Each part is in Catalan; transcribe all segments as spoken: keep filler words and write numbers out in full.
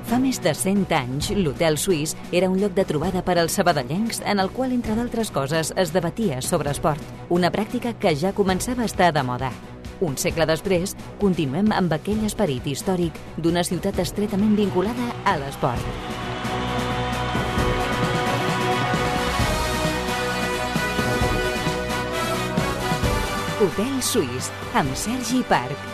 Fa més de cent anys, l'Hotel Suís era un lloc de trobada per als sabadellencs en el qual, entre d'altres coses, es debatia sobre esport, una pràctica que ja començava a estar de moda. Un segle després, continuem amb aquell esperit històric d'una ciutat estretament vinculada a l'esport. Hotel Suís, amb Sergi Parc.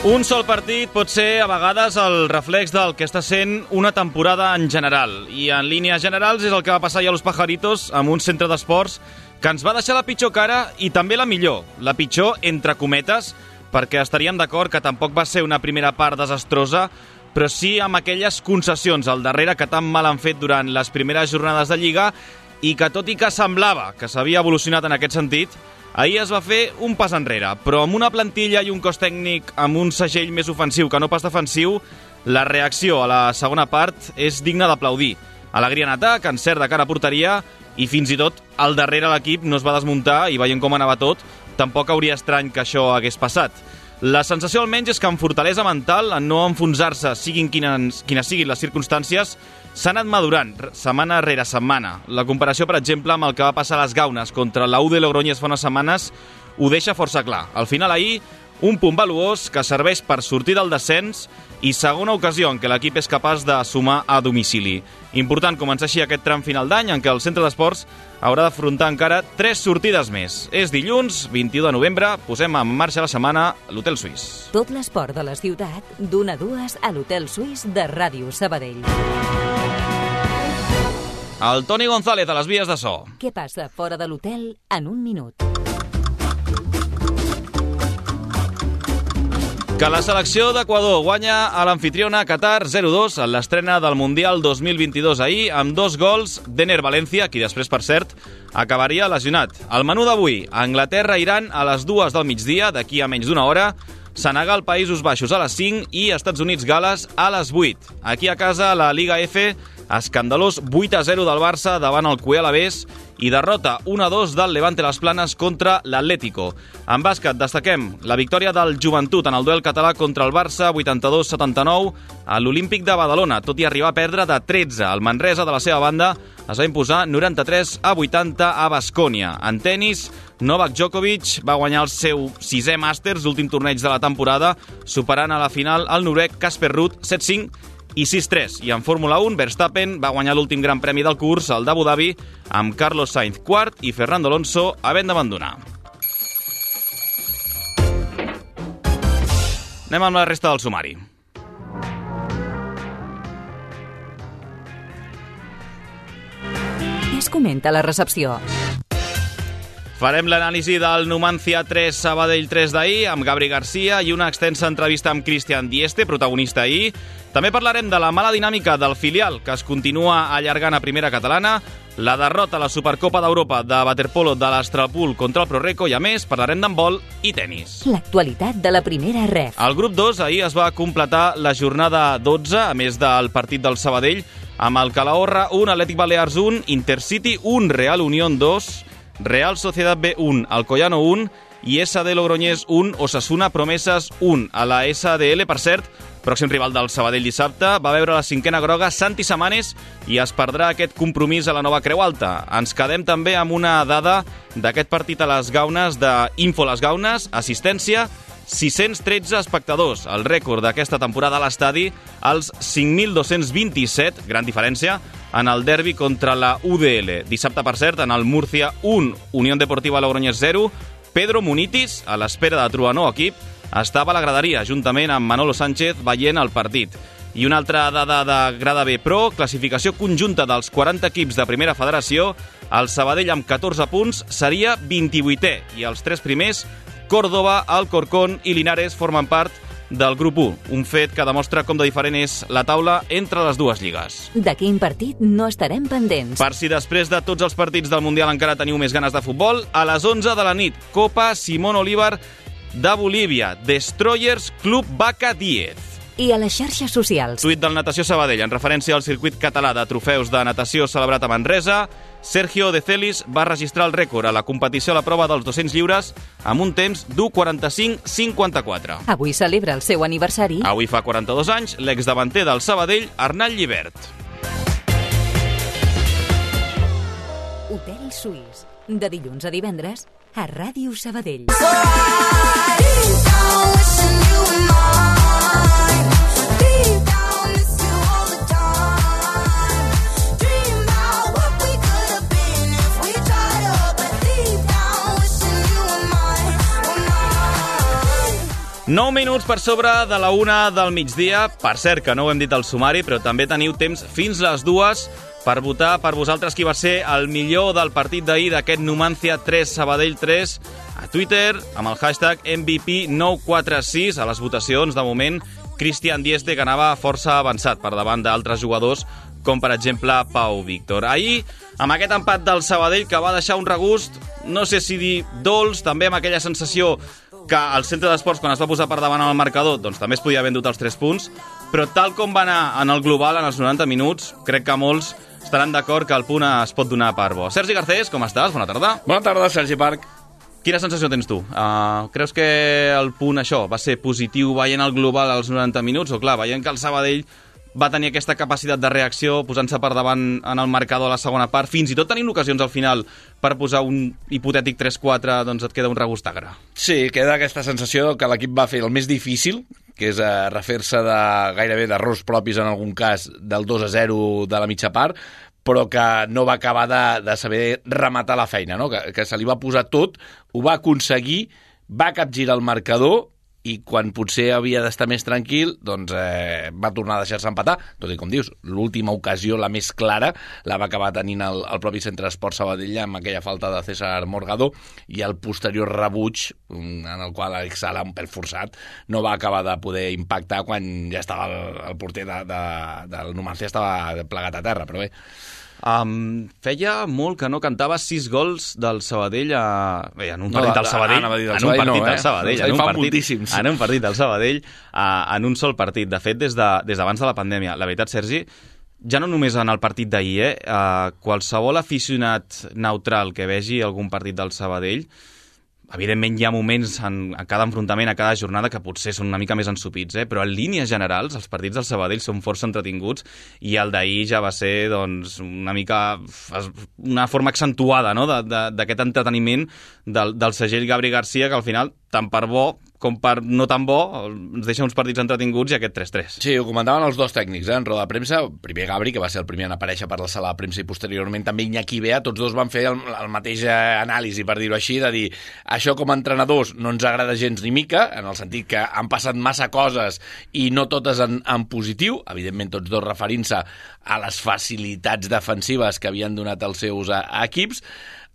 Un sol partit pot ser a vegades el reflex del que està sent una temporada en general. I en línies generals és el que va passar ja a Los Pajaritos amb un centre d'esports que ens va deixar la pitjor cara i també la millor. La pitjor, entre cometes, perquè estaríem d'acord que tampoc va ser una primera part desastrosa, però sí amb aquelles concessions al darrere que tan mal han fet durant les primeres jornades de Lliga i que, tot i que semblava que s'havia evolucionat en aquest sentit, ahir es va fer un pas enrere, però amb una plantilla i un cos tècnic amb un segell més ofensiu que no pas defensiu, la reacció a la segona part és digna d'aplaudir. Alegria en atac, encert de cara a porteria i fins i tot al darrere l'equip no es va desmuntar i veient com anava tot, tampoc hauria estrany que això hagués passat. La sensació almenys és que amb fortalesa mental, en no enfonsar-se siguin quines, quines siguin les circumstàncies, s'ha anat madurant setmana rere setmana. La comparació, per exemple, amb el que va passar a les Gaunes contra la U de Logroñés fa unes setmanes ho deixa força clar. Al final ahir, un punt valuós que serveix per sortir del descens i segona ocasió en què l'equip és capaç de sumar a domicili. Important començar així aquest tram final d'any en què el centre d'esports haurà d'afrontar encara tres sortides més. És dilluns, vint-i-u de novembre, posem en marxa la setmana a l'Hotel Suís. Tot l'esport de la ciutat, d'una a dues a l'Hotel Suís de Ràdio Sabadell. El Toni González a les vies de so. Què passa fora de l'hotel en un minut? Que la selecció d'Equador guanya a l'anfitriona Qatar zero dos en l'estrena del Mundial dos mil vint-i-dos ahir amb dos gols d'Ener Valencia, qui després, per cert, acabaria lesionat. El menú d'avui, Anglaterra-Iran a les dues del migdia, d'aquí a menys d'una hora, Senegal, Països Baixos a les cinc i Estats Units-Gales a les vuit. Aquí a casa, la Liga F, escandalós vuit a zero del Barça davant el Cué Alavés i derrota un a dos del Levante Las Planes contra l'Atlético. En bàsquet destaquem la victòria del Joventut en el duel català contra el Barça, vuitanta-dos a setanta-nou, a l'Olímpic de Badalona, tot i arribar a perdre de tretze. El Manresa, de la seva banda, es va imposar noranta-tres a vuitanta a Baskònia. En tenis, Novak Djokovic va guanyar el seu sisè Masters, l'últim torneig de la temporada, superant a la final el noruec Casper Ruud set cinc i sis tres. I en Fórmula un, Verstappen va guanyar l'últim gran premi del curs, el d'Abu Dhabi, amb Carlos Sainz quart i Fernando Alonso havent d'abandonar. Anem amb la resta del sumari. Què es comenta a la recepció? Farem l'anàlisi del Numancia tres Sabadell tres d'ahir amb Gabri Garcia i una extensa entrevista amb Cristian Dieste, protagonista ahir. També parlarem de la mala dinàmica del filial que es continua allargant a primera catalana, la derrota a la Supercopa d'Europa de waterpolo de l'Astralpool contra el Proreco i, a més, parlarem d'handbol i tenis. L'actualitat de la primera ref. El grup dos ahir es va completar la jornada dotze, a més del partit del Sabadell, amb el Calahorra un, Atlètic Balears un, Intercity un, Real Unión dos, Real Sociedad B un, Alcoyano un i S D Logroñés un, Osasuna Promeses un. A la S D L, per cert, pròxim rival del Sabadell dissabte, va veure la cinquena groga Santi Samanes i es perdrà aquest compromís a la nova Creu Alta. Ens quedem també amb una dada d'aquest partit a les Gaunes d'Info Les Gaunes, assistència, sis-cents tretze espectadors, el rècord d'aquesta temporada a l'estadi, als cinc mil dos-cents vint-i-set, gran diferència, en el derbi contra la U D L. Dissabte, per cert, en el Murcia un, Unió Deportiva Logroñés zero, Pedro Munitis, a l'espera de trobar nou equip, estava a la graderia, juntament amb Manolo Sánchez, veient el partit. I una altra dada de Grada B Pro, classificació conjunta dels quaranta equips de primera federació, el Sabadell amb catorze punts seria vint-i-vuitè, i els tres primers, Córdoba, Alcorcón i Linares, formen part del grup u, un fet que demostra com de diferent és la taula entre les dues lligues. De quin partit no estarem pendents? Per si després de tots els partits del Mundial encara teniu més ganes de futbol, a les onze de la nit, Copa Simón Bolívar de Bolívia, Destroyers Club Vaca Diez. i a les xarxes socials. Tuit del Natació Sabadell, en referència al circuit català de trofeus de natació celebrat a Manresa. Sergio De Celis va registrar el rècord a la competició a la prova dels dos-cents lliures amb un temps d'u quaranta-cinc cinquanta-quatre. Avui celebra el seu aniversari. Avui fa quaranta-dos anys l'exdavanter del Sabadell, Arnall Llibert. Hotel Suís, de dilluns a divendres a Ràdio Sabadell. nou minuts per sobre de la una del migdia. Per cert, que no ho hem dit al sumari, però també teniu temps fins les dues per votar per vosaltres qui va ser el millor del partit d'ahir d'aquest Numancia tres Sabadell tres a Twitter amb el hashtag M V P nou quatre sis. A les votacions, de moment, Cristian Dieste, que anava força avançat per davant d'altres jugadors, com per exemple Pau Víctor. Ahir, amb aquest empat del Sabadell que va deixar un regust, no sé si dir dolç, també amb aquella sensació que el centre d'esports, quan es va posar per davant al marcador, doncs també es podia haver endut els tres punts, però tal com va anar en el global en els noranta minuts, crec que molts estaran d'acord que el punt es pot donar per bo. Sergi Garcés, com estàs? Bona tarda. Bona tarda, Sergi Parc. Quina sensació tens tu? Uh, creus que el punt, això, va ser positiu veient el global als noranta minuts? O clar, veient que el Sabadell va tenir aquesta capacitat de reacció posant-se per davant en el marcador a la segona part, fins i tot tenint ocasions al final per posar un hipotètic tres quatre, doncs et queda un regust agre. Sí, queda aquesta sensació que l'equip va fer el més difícil, que és eh, refer-se de, gairebé d'errors propis en algun cas del dos a zero de la mitja part, però que no va acabar de, de saber rematar la feina, no? que, que se li va posar tot, ho va aconseguir, va capgirar el marcador, i quan potser havia d'estar més tranquil, doncs eh, va tornar a deixar-se empatar, tot i com dius, l'última ocasió, la més clara, la va acabar tenint el, el propi Centre d'Esport Sabadell amb aquella falta de César Morgado i el posterior rebuig, en el qual Alex Sala, un pèl forçat, no va acabar de poder impactar quan ja estava el, el porter de, de, del Numancia estava plegat a terra, però bé. Um, feia molt que no cantava sis gols del Sabadell a... Bé, en un partit no, del Sabadell, del en un Sabadell partit no, eh? del Sabadell, en un partit, en un partit del Sabadell, uh, en un sol partit. De fet, des de, des d'abans de la pandèmia. La veritat, Sergi, ja no només en el partit d'ahir, eh? Uh, qualsevol aficionat neutral que vegi algun partit del Sabadell, evidentment hi ha moments en, en cada enfrontament, a cada jornada, que potser són una mica més ensupits, eh? Però en línies generals els partits del Sabadell són força entretinguts i el d'ahir ja va ser doncs, una mica una forma accentuada, no? d'aquest entreteniment del, del segell Gabri Garcia, que al final, tant per bo com per no tan bo, ens deixa uns partits entretinguts i aquest tres tres. Sí, ho comentaven els dos tècnics, eh? En roda de premsa, primer Gabri, que va ser el primer en aparèixer per la sala de premsa, i posteriorment també Iñaki Bea, tots dos van fer el, el mateix anàlisi, per dir-ho així, de dir, això com a entrenadors no ens agrada gens ni mica, en el sentit que han passat massa coses i no totes en, en positiu, evidentment tots dos referint-se a les facilitats defensives que havien donat els seus a, a equips,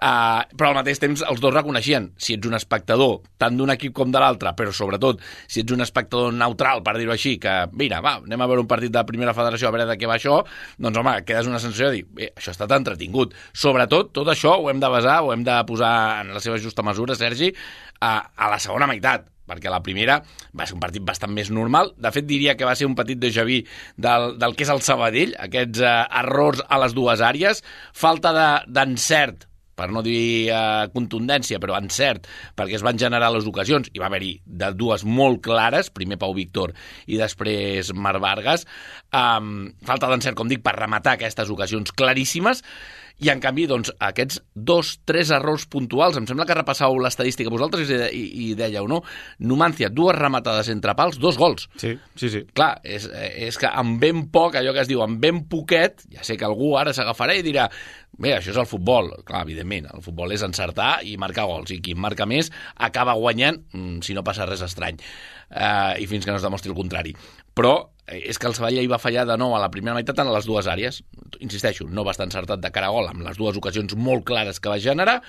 Uh, però al mateix temps els dos reconeixien, si ets un espectador tant d'un equip com de l'altre, però sobretot si ets un espectador neutral, per dir-ho així, que mira, va, anem a veure un partit de primera federació a veure de què va això, doncs home, quedes una sensació de dir, bé, això ha estat entretingut. Sobretot, tot això ho hem de basar, ho hem de posar en la seva justa mesura, Sergi, a, a la segona meitat, perquè la primera va ser un partit bastant més normal. De fet, diria que va ser un petit déjà vu del, del que és el Sabadell, aquests uh, errors a les dues àrees, falta d'encert, per no dir eh, contundència, però encert, perquè es van generar les ocasions, i va haver-hi de dues molt clares, primer Pau Víctor i després Marc Vargas, um, falta d'encert, com dic, per rematar aquestes ocasions claríssimes, i en canvi, doncs, aquests dos, tres errors puntuals, em sembla que repassau l'estadística vosaltres i, i, i dèieu, no? Numancia, dues rematades entre pals, dos gols. Sí, sí, sí. Clar, és, és que amb ben poc, allò que es diu, amb ben poquet, ja sé que algú ara s'agafarà i dirà, bé, això és el futbol. Clar, evidentment, el futbol és encertar i marcar gols, i qui marca més acaba guanyant, si no passa res estrany, uh, i fins que no es demostri el contrari. Però és que el Sabadell va fallar de nou a la primera meitat en les dues àrees. Insisteixo, no va estar encertat de cara a gol amb les dues ocasions molt clares que va generar,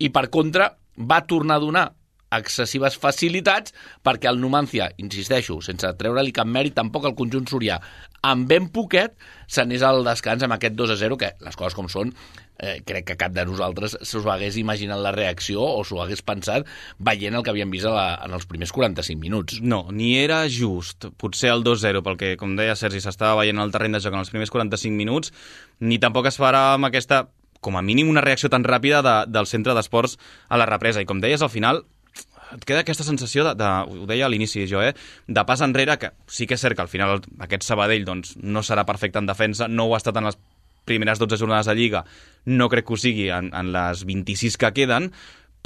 i per contra va tornar a donar excessives facilitats perquè el Numancia, insisteixo, sense treure-li cap mèrit, tampoc el conjunt sorià, amb ben poquet, s'anés al descans amb aquest dos a zero, que les coses com són, eh, crec que cap de nosaltres s'ho hagués imaginat la reacció o s'ho hagués pensat veient el que havíem vist a la, en els primers quaranta-cinc minuts. No, ni era just, potser el dos zero, pel que, com deia Sergi, s'estava veient el terreny de joc en els primers quaranta-cinc minuts, ni tampoc esperàvem aquesta, com a mínim, una reacció tan ràpida de, del centre d'esports a la represa. I com deies, al final, et queda aquesta sensació, de, de, ho deia a l'inici jo, eh, de pas enrere, que sí que és cert que al final aquest Sabadell doncs, no serà perfecte en defensa, no ho ha estat en les primeres dotze jornades de Lliga, no crec que ho sigui en, en les vint-i-sis que queden,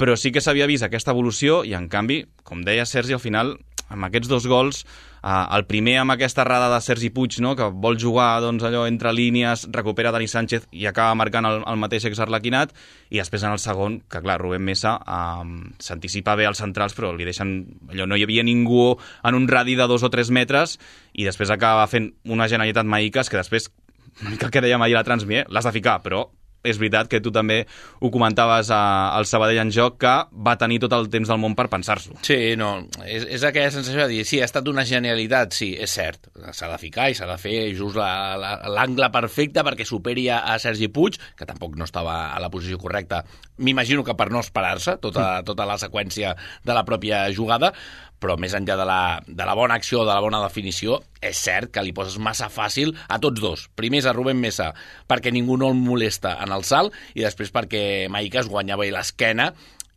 però sí que s'havia vist aquesta evolució i, en canvi, com deia Sergi, al final, amb aquests dos gols, eh, el primer amb aquesta errada de Sergi Puig, no?, que vol jugar doncs, allò entre línies, recupera Dani Sánchez i acaba marcant el, el mateix exarlequinat, i després en el segon, que clar, Rubén Mesa eh, s'anticipa bé als centrals, però li deixen, allò, no hi havia ningú en un radi de dos o tres metres, i després acaba fent una genialitat Maïcas que després, una mica el que dèiem ahir a la Transmi, eh? L'has de ficar, però és veritat que tu també ho comentaves a, al Sabadell en joc, que va tenir tot el temps del món per pensar-s'ho. Sí, no, és, és aquella sensació de dir, sí, ha estat una genialitat, sí, és cert, s'ha de ficar i s'ha de fer just l'angle perfecte perquè superi a, a Sergi Puig, que tampoc no estava a la posició correcta, m'imagino que per no esperar-se tota, tota la seqüència de la pròpia jugada, però més enllà de la, de la bona acció, de la bona definició, és cert que li poses massa fàcil a tots dos. Primer a Rubén Mesa, perquè ningú no el molesta en el salt, i després perquè Maïcas guanyava l'esquena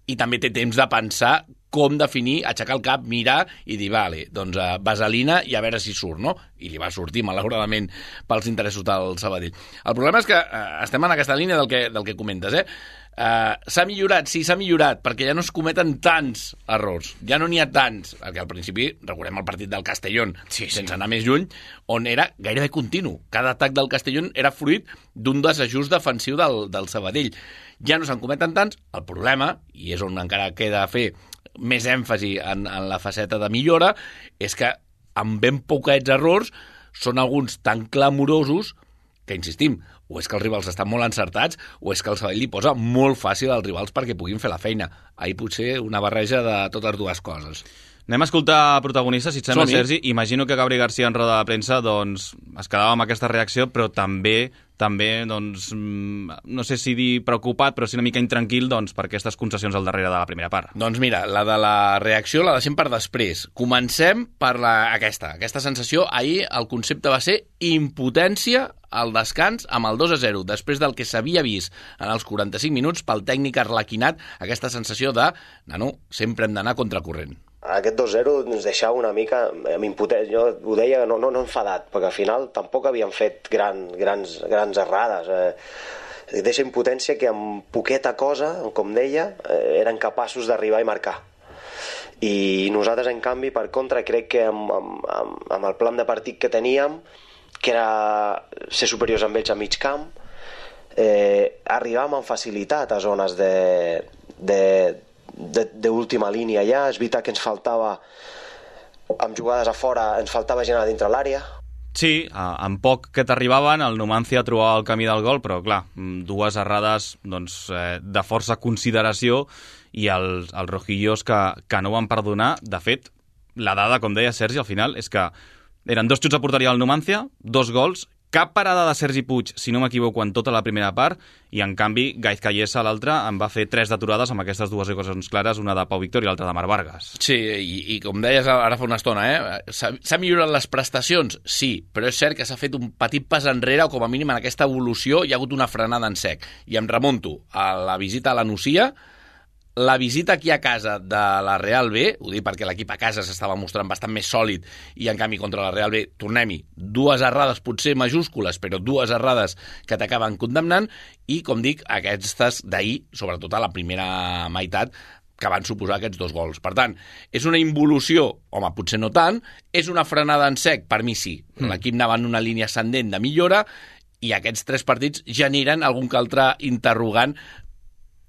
i també té temps de pensar com definir, aixecar el cap, mirar i dir, vale, doncs uh, vaselina i a veure si surt, no? I li va sortir, malauradament, pels interessos del Sabadell. El problema és que uh, estem en aquesta línia del que, del que comentes, eh? Uh, s'ha millorat, sí, s'ha millorat, perquè ja no es cometen tants errors, ja no n'hi ha tants, perquè al principi, recordem el partit del Castellón, sí, sí. sense anar més lluny, on era gairebé continu. Cada atac del Castellón era fruit d'un desajust defensiu del, del Sabadell. Ja no se'n cometen tants, el problema, i és on encara queda fer més èmfasi en, en la faceta de millora, és que amb ben poquets errors són alguns tan clamorosos que, insistim, o és que els rivals estan molt encertats o és que el Sabadell li posa molt fàcil als rivals perquè puguin fer la feina. Ahir potser una barreja de totes dues coses. Anem a escoltar protagonistes, si et sembla, Sergi. Imagino que Gabri García en roda de premsa doncs, es quedava amb aquesta reacció, però també, també doncs, no sé si dir preocupat, però sí una mica intranquil doncs, per aquestes concessions al darrere de la primera part. Doncs mira, la de la reacció la deixem per després. Comencem per la, aquesta, aquesta sensació. Ahir el concepte va ser impotència al descans amb el dos a zero, després del que s'havia vist en els quaranta-cinc minuts pel tècnic arlequinat, aquesta sensació de, nano, sempre hem d'anar contracorrent. Aquest dos zero ens deixava una mica amb impotència. Jo ho deia no, no, no enfadat, perquè al final tampoc havíem fet gran, grans, grans errades. Eh, deixa impotència que amb poqueta cosa, com deia, eh, eren capaços d'arribar i marcar. I nosaltres, en canvi, per contra, crec que amb, amb, amb el plan de partit que teníem, que era ser superiors amb ells a mig camp, eh, arribàvem amb facilitat a zones de... de d'última línia ja. És veritat que ens faltava, amb jugades a fora, ens faltava gent a dintre l'àrea. Sí, en poc que t'arribaven, el Numancia trobava el camí del gol, però clar, dues errades doncs, eh, de força consideració, i els, els rojillos que, que no van perdonar. De fet, la dada, com deia Sergi, al final, és que eren dos xuts a porteria del Numancia, dos gols, cap parada de Sergi Puig, si no m'equivoco, en tota la primera part, i en canvi Gaiz Callesa, l'altre, en va fer tres d'aturades amb aquestes dues ocasions clares, una de Pau Víctor i l'altra de Marc Vargas. Sí, i, i com deies ara fa una estona, eh? s'ha millorat les prestacions? Sí, però és cert que s'ha fet un petit pas enrere, o com a mínim en aquesta evolució hi ha hagut una frenada en sec. I em remunto a la visita a la Nucia, la visita aquí a casa de la Real B, ho dic perquè l'equip a casa s'estava mostrant bastant més sòlid, i en canvi contra la Real B, tornem-hi, dues errades potser majúscules, però dues errades que t'acaben condemnant, i com dic, aquestes d'ahir, sobretot a la primera meitat, que van suposar aquests dos gols. Per tant, és una involució, home, potser no tant, és una frenada en sec, per mi sí. Mm. L'equip anava en una línia ascendent de millora, i aquests tres partits generen algun que altre interrogant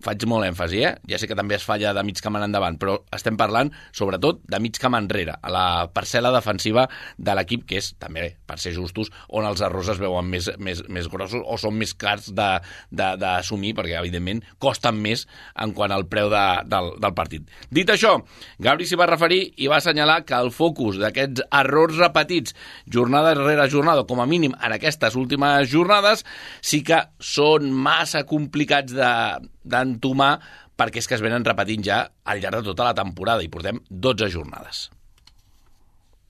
faig molt èmfasi, eh? Ja sé que també es falla de mig camp en endavant, però estem parlant, sobretot, de mig camp enrere, a la parcel·la defensiva de l'equip, que és, també, per ser justos, on els errors es veuen més, més, més grossos o són més clars d'assumir, perquè, evidentment, costen més en quant al preu de, del, del partit. Dit això, Gabri s'hi va referir i va assenyalar que el focus d'aquests errors repetits, jornada rere jornada, com a mínim en aquestes últimes jornades, sí que són massa complicats de d'entomar, perquè és que es venen repetint ja al llarg de tota la temporada i portem dotze jornades.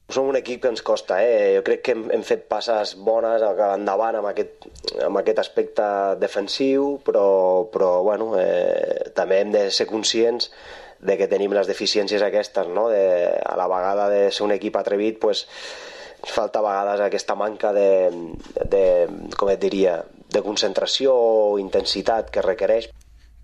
Som un equip que ens costa, eh? Jo crec que hem, hem fet passes bones endavant amb aquest, amb aquest aspecte defensiu, però, però bueno, eh, també hem de ser conscients de que tenim les deficiències aquestes, no? De, a la vegada de ser un equip atrevit, pues, falta a vegades aquesta manca de, de, com et diria, de concentració o intensitat que requereix.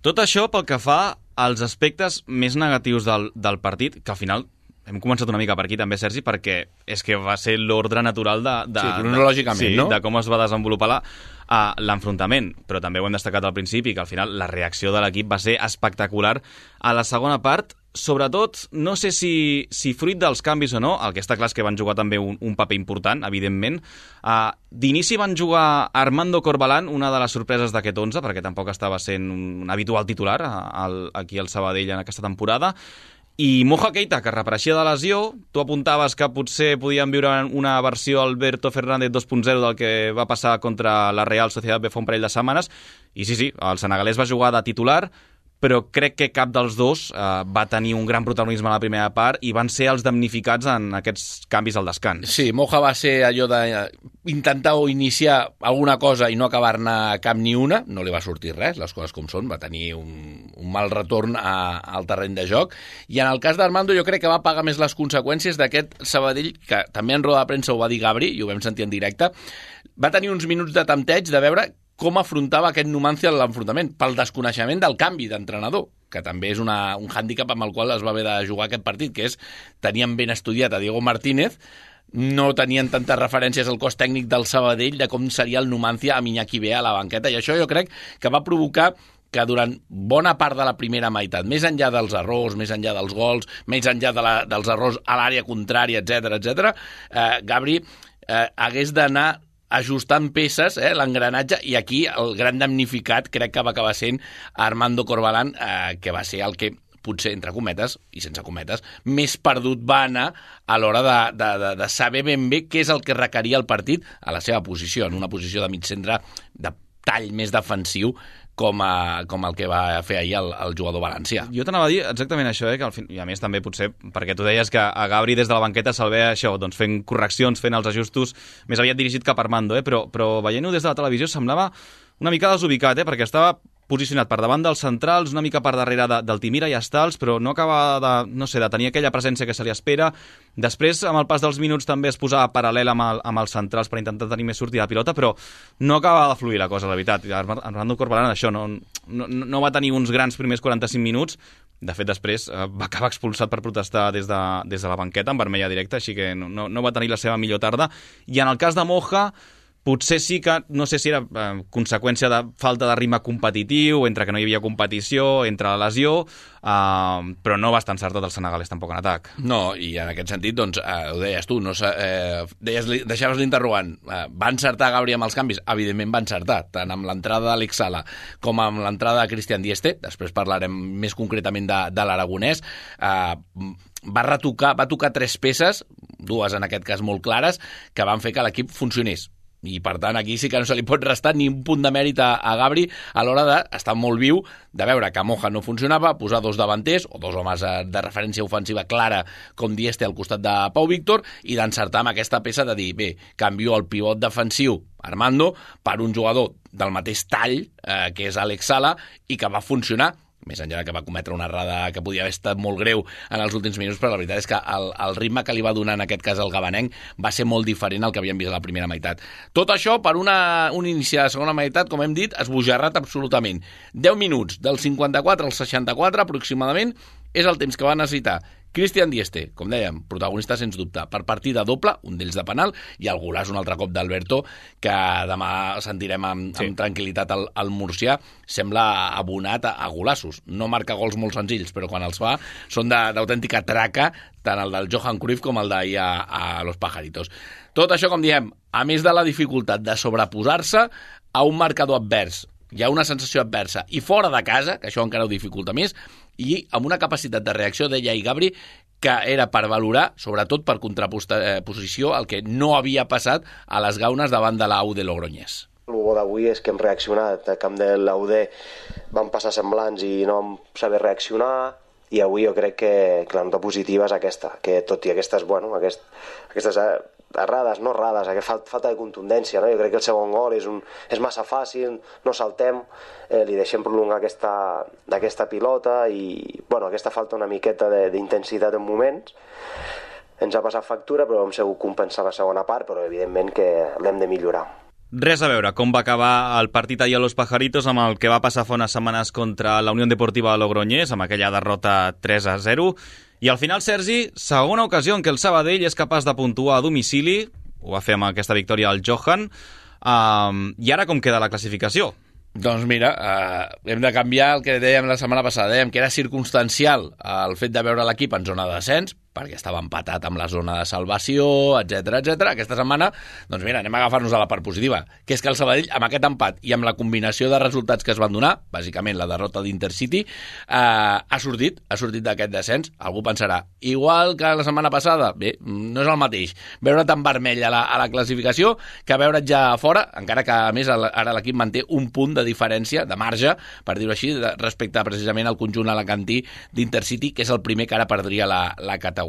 Tot això pel que fa als aspectes més negatius del, del partit, que al final hem començat una mica per aquí també, Sergi, perquè és que va ser l'ordre natural de, de, sí, cronològicament, de, sí, no? de com es va desenvolupar la, uh, l'enfrontament. Però també ho hem destacat al principi, que al final la reacció de l'equip va ser espectacular a la segona part. Sobretot, no sé si, si fruit dels canvis o no, el que està clar és que van jugar també un, un paper important, evidentment. Uh, D'inici van jugar Armando Corbalán, una de les sorpreses d'aquest onze, perquè tampoc estava sent un habitual titular al, aquí al Sabadell en aquesta temporada, i Moja Keita, que reapareixia de lesió. Tu apuntaves que potser podíem viure una versió Alberto Fernández dos punt zero del que va passar contra la Real Sociedad B fa un parell de setmanes, i sí, sí, el senegalès va jugar de titular, però crec que cap dels dos eh, va tenir un gran protagonisme a la primera part i van ser els damnificats en aquests canvis al descans. Sí, Moja va ser allò d'intentar o iniciar alguna cosa i no acabar-ne cap ni una, no li va sortir res, les coses com són, va tenir un, un mal retorn a, al terreny de joc, i en el cas d'Armando jo crec que va pagar més les conseqüències d'aquest Sabadell, que també en roda de premsa ho va dir Gabri, i ho vam sentir en directe, va tenir uns minuts de tempteig de veure com afrontava aquest Numancia a l'enfrontament, pel desconeixement del canvi d'entrenador, que també és una, un hàndicap amb el qual es va haver de jugar aquest partit, que és, tenien ben estudiat a Diego Martínez, no tenien tantes referències al cos tècnic del Sabadell de com seria el Numancia amb Iñaki Bea a la banqueta, i això jo crec que va provocar que durant bona part de la primera meitat, més enllà dels errors, més enllà dels gols, més enllà de la, dels errors a l'àrea contrària, etcètera, etcètera, eh, Gabri eh, hagués d'anar ajustant peces, eh, l'engranatge, i aquí el gran damnificat crec que va acabar sent Armando Corbalán, eh, que va ser el que potser, entre cometes, i sense cometes, més perdut va anar a l'hora de, de, de, de saber ben bé què és el que requeria el partit a la seva posició, en una posició de mig centre de tall més defensiu, com, a, com el que va fer ahir el, el jugador valencià. Jo t'anava a dir exactament això, eh, que al fin, i a més també potser, perquè tu deies que a Gabri des de la banqueta se'l ve això, doncs fent correccions, fent els ajustos, més aviat dirigit cap a Armando, eh, però, però veient-ho des de la televisió semblava una mica desubicat, eh, perquè estava posicionat per davant dels centrals, una mica per darrere de, del Timira i Estals, però no acaba de, no sé, de tenir aquella presència que se li espera. Després, amb el pas dels minuts, també es posava paral·lel amb, el, amb els centrals per intentar tenir més sortida de pilota, però no acaba de fluir la cosa, la veritat. Armando Corbalán, això, no, no, no va tenir uns grans primers quaranta-cinc minuts. De fet, després eh, va acabar expulsat per protestar des de, des de la banqueta, en vermella directa, així que no, no, no va tenir la seva millor tarda. I en el cas de Moja, potser sí que, no sé si era eh, conseqüència de falta de ritme competitiu, entre que no hi havia competició, entre la lesió, eh, però no va estar encertat el senegalès tampoc en atac. No, i en aquest sentit, doncs, eh, ho deies tu, no, eh, deies, deixaves l'interrogant, eh, va encertar Gabri amb els canvis? Evidentment va encertar, tant amb l'entrada d'Àlex Sala com amb l'entrada de Christian Dieste, després parlarem més concretament de, de l'aragonès, eh, va retocar, va tocar tres peces, dues en aquest cas molt clares, que van fer que l'equip funcionés. I per tant aquí sí que no se li pot restar ni un punt de mèrit a, a Gabri a l'hora d'estar molt viu, de veure que Moja no funcionava, posar dos davanters o dos homes de referència ofensiva clara com Dieste al costat de Pau Víctor, i d'encertar amb aquesta peça de dir, bé, canvio el pivot defensiu Armando per un jugador del mateix tall eh, que és Àlex Sala, i que va funcionar, més enllà que va cometre una errada que podia haver estat molt greu en els últims minuts, però la veritat és que el, el ritme que li va donar en aquest cas el gabanenc va ser molt diferent al que havíem vist a la primera meitat. Tot això per una, un inici de la segona meitat, com hem dit, esbojarrat absolutament. deu minuts, del cinquanta-quatre al seixanta-quatre aproximadament, és el temps que va necessitar Cristian Dieste, com dèiem, protagonista sens dubte, per partida doble, un d'ells de penal, i el golaç un altre cop d'Alberto, que demà sentirem amb, sí. amb tranquil·litat el, el murcià, sembla abonat a, a golaços. No marca gols molt senzills, però quan els fa són d'autèntica traca, tant el del Johan Cruyff com el d'ahir a, a Los Pajaritos. Tot això, com diem, a més de la dificultat de sobreposar-se a un marcador advers, hi ha una sensació adversa, i fora de casa, que això encara ho dificulta més, i amb una capacitat de reacció, deia i Gabri, que era per valorar, sobretot per contraposició, el que no havia passat a les gaunes davant de l'A U de Logroñés. El bo d'avui és que hem reaccionat. A camp de l'A U D van passar semblants i no vam saber reaccionar, i avui jo crec que, que la nota positiva és aquesta, que tot i aquestes, bueno, aquest, aquestes errades, no errades, aquesta falta de contundència, no? Jo crec que el segon gol és, un, és massa fàcil, no saltem, eh, li deixem prolongar aquesta, aquesta pilota i bueno, aquesta falta una miqueta d'intensitat en moments. Ens ha passat factura, però hem sabut compensar la segona part, però evidentment que l'hem de millorar. Res a veure com va acabar el partit ahir a Los Pajaritos amb el que va passar fa unes setmanes contra la Unió Deportiva de Logroñés, amb aquella derrota tres a zero. I al final, Sergi, segona ocasió en què el Sabadell és capaç de puntuar a domicili, ho va fer amb aquesta victòria al Johan, um, i ara com queda la classificació? Doncs mira, eh, hem de canviar el que dèiem la setmana passada, dèiem que era circumstancial el fet de veure l'equip en zona de descens, perquè estava empatat amb la zona de salvació, etcètera, etcètera. Aquesta setmana, doncs mira, anem a agafar-nos a la part positiva, que és que el Sabadell, amb aquest empat i amb la combinació de resultats que es van donar, bàsicament la derrota d'Intercity, eh, ha sortit, ha sortit d'aquest descens. Algú pensarà, igual que la setmana passada, bé, no és el mateix veure tan vermell a la, a la classificació que veure't ja fora, encara que a més ara l'equip manté un punt de diferència, de marge, per dir-ho així, respecte precisament al conjunt alacantí d'Intercity, que és el primer que ara perdria la, la categoria.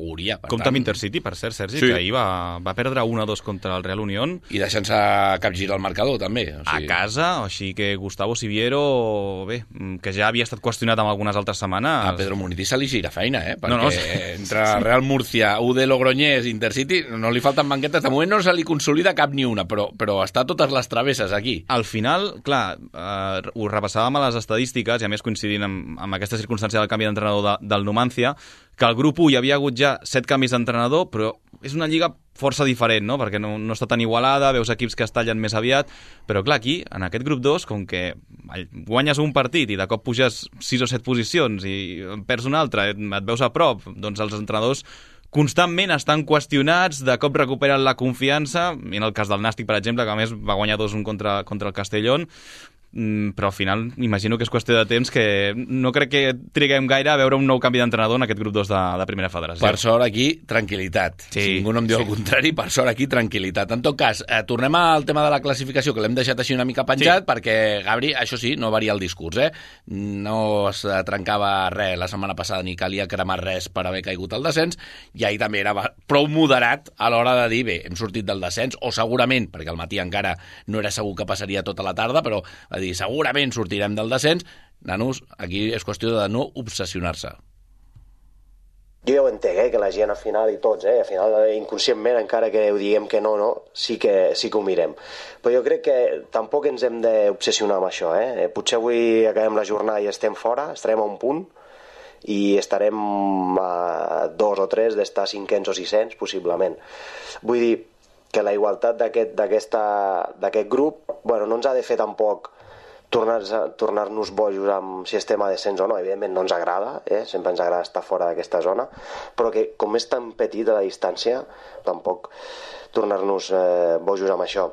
Compte amb Intercity, per cert, Sergi, sí. que ahir va, va perdre un a dos contra el Real Unión. I deixant-se capgirar el marcador, també. O sigui... A casa, així que Gustavo Siviero, bé, que ja havia estat qüestionat en algunes altres setmanes... A Pedro Muniz se li gira feina, eh? Perquè no, no, sí. entre Real Murcia, U D Logroñés, Intercity, no li falten banquetes. De moment no se li consolida cap ni una, però, però està totes les travesses aquí. Al final, clar, eh, ho repassàvem a les estadístiques, i a més coincidint amb, amb aquesta circumstància del canvi d'entrenador de, del Numancia, que al grup u hi havia hagut ja set canvis d'entrenador, però és una lliga força diferent, no? Perquè no, no està tan igualada, veus equips que es tallen més aviat, però clar, aquí, en aquest grup dos, com que guanyes un partit i de cop puges sis o set posicions i perds un altre, et veus a prop, doncs els entrenadors constantment estan qüestionats, de cop recuperen la confiança, i en el cas del Nàstic, per exemple, que a més va guanyar dos un contra, contra el Castellón, però al final imagino que és qüestió de temps, que no crec que triguem gaire a veure un nou canvi d'entrenador en aquest grup dos de, de primera federació. Per sort aquí, tranquil·litat. Sí, si ningú no em diu sí. el contrari, per sort aquí, tranquil·litat. En tot cas, eh, tornem al tema de la classificació, que l'hem deixat així una mica penjat, sí. perquè, Gabri, això sí, no varia el discurs, eh? No es trencava res la setmana passada, ni calia cremar res per haver caigut al descens, i ahir també era prou moderat a l'hora de dir, bé, hem sortit del descens, o segurament, perquè al matí encara no era segur que passaria tota la tarda, però dir, segurament sortirem del descens. Nanos, aquí és qüestió de no obsessionar-se. Jo ja ho entenc, eh, que la gent al final, i tots, eh, al final inconscientment, encara que ho diguem que no, no, sí que, sí que ho mirem. Però jo crec que tampoc ens hem d'obsessionar amb això. Eh? Potser avui acabem la jornada i estem fora, estarem a un punt, i estarem a dos o tres d'estar cinquens o sisens, possiblement. Vull dir que la igualtat d'aquest d'aquest grup, bueno, no ens ha de fer tampoc tornar-nos tornar bojos amb si estem a descens o no. Evidentment no ens agrada, eh? Sempre ens agrada estar fora d'aquesta zona, però que com és tan petita la distància, tampoc tornar-nos eh, bojos amb això.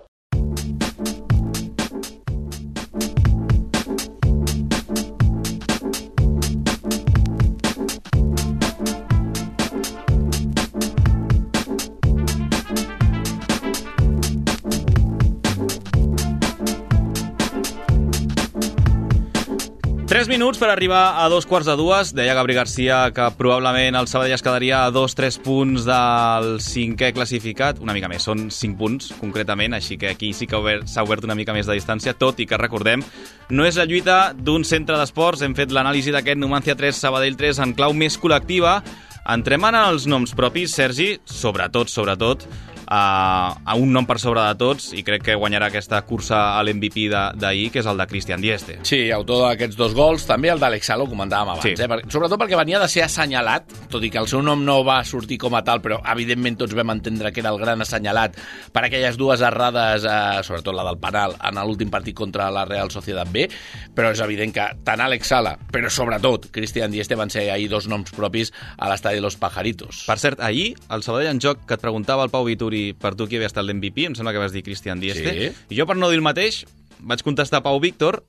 Tres minuts per arribar a dos quarts de dues. Deia Gabri Garcia que probablement el Sabadell es quedaria a dos tres punts del cinquè classificat. Una mica més, són cinc punts concretament, així que aquí sí que s'ha obert una mica més de distància, tot i que recordem, no és la lluita d'un centre d'esports. Hem fet l'anàlisi d'aquest Numancia tres, Sabadell tres en clau més col·lectiva. Entrem en els noms propis, Sergi, sobretot, sobretot, a, a un nom per sobre de tots, i crec que guanyarà aquesta cursa a l'M V P d'ahir, que és el de Christian Dieste. Sí, autor d'aquests dos gols, també el d'Alex Salo, comentàvem abans, sí. eh? Per, sobretot perquè venia de ser assenyalat, tot i que el seu nom no va sortir com a tal, però evidentment tots vam entendre que era el gran assenyalat per aquelles dues errades, eh, sobretot la del penal, en l'últim partit contra la Real Sociedad B, però és evident que tant Alex Sala, però sobretot Christian Dieste van ser ahir dos noms propis a l'estadi Los Pajaritos. Per cert, ahir, el Sabadell en joc, que et preguntava el Pau Vituri per tu qui havia estat l'M V P, em sembla que vas dir Christian Dieste, sí. I jo per no dir el mateix vaig contestar Pau Víctor,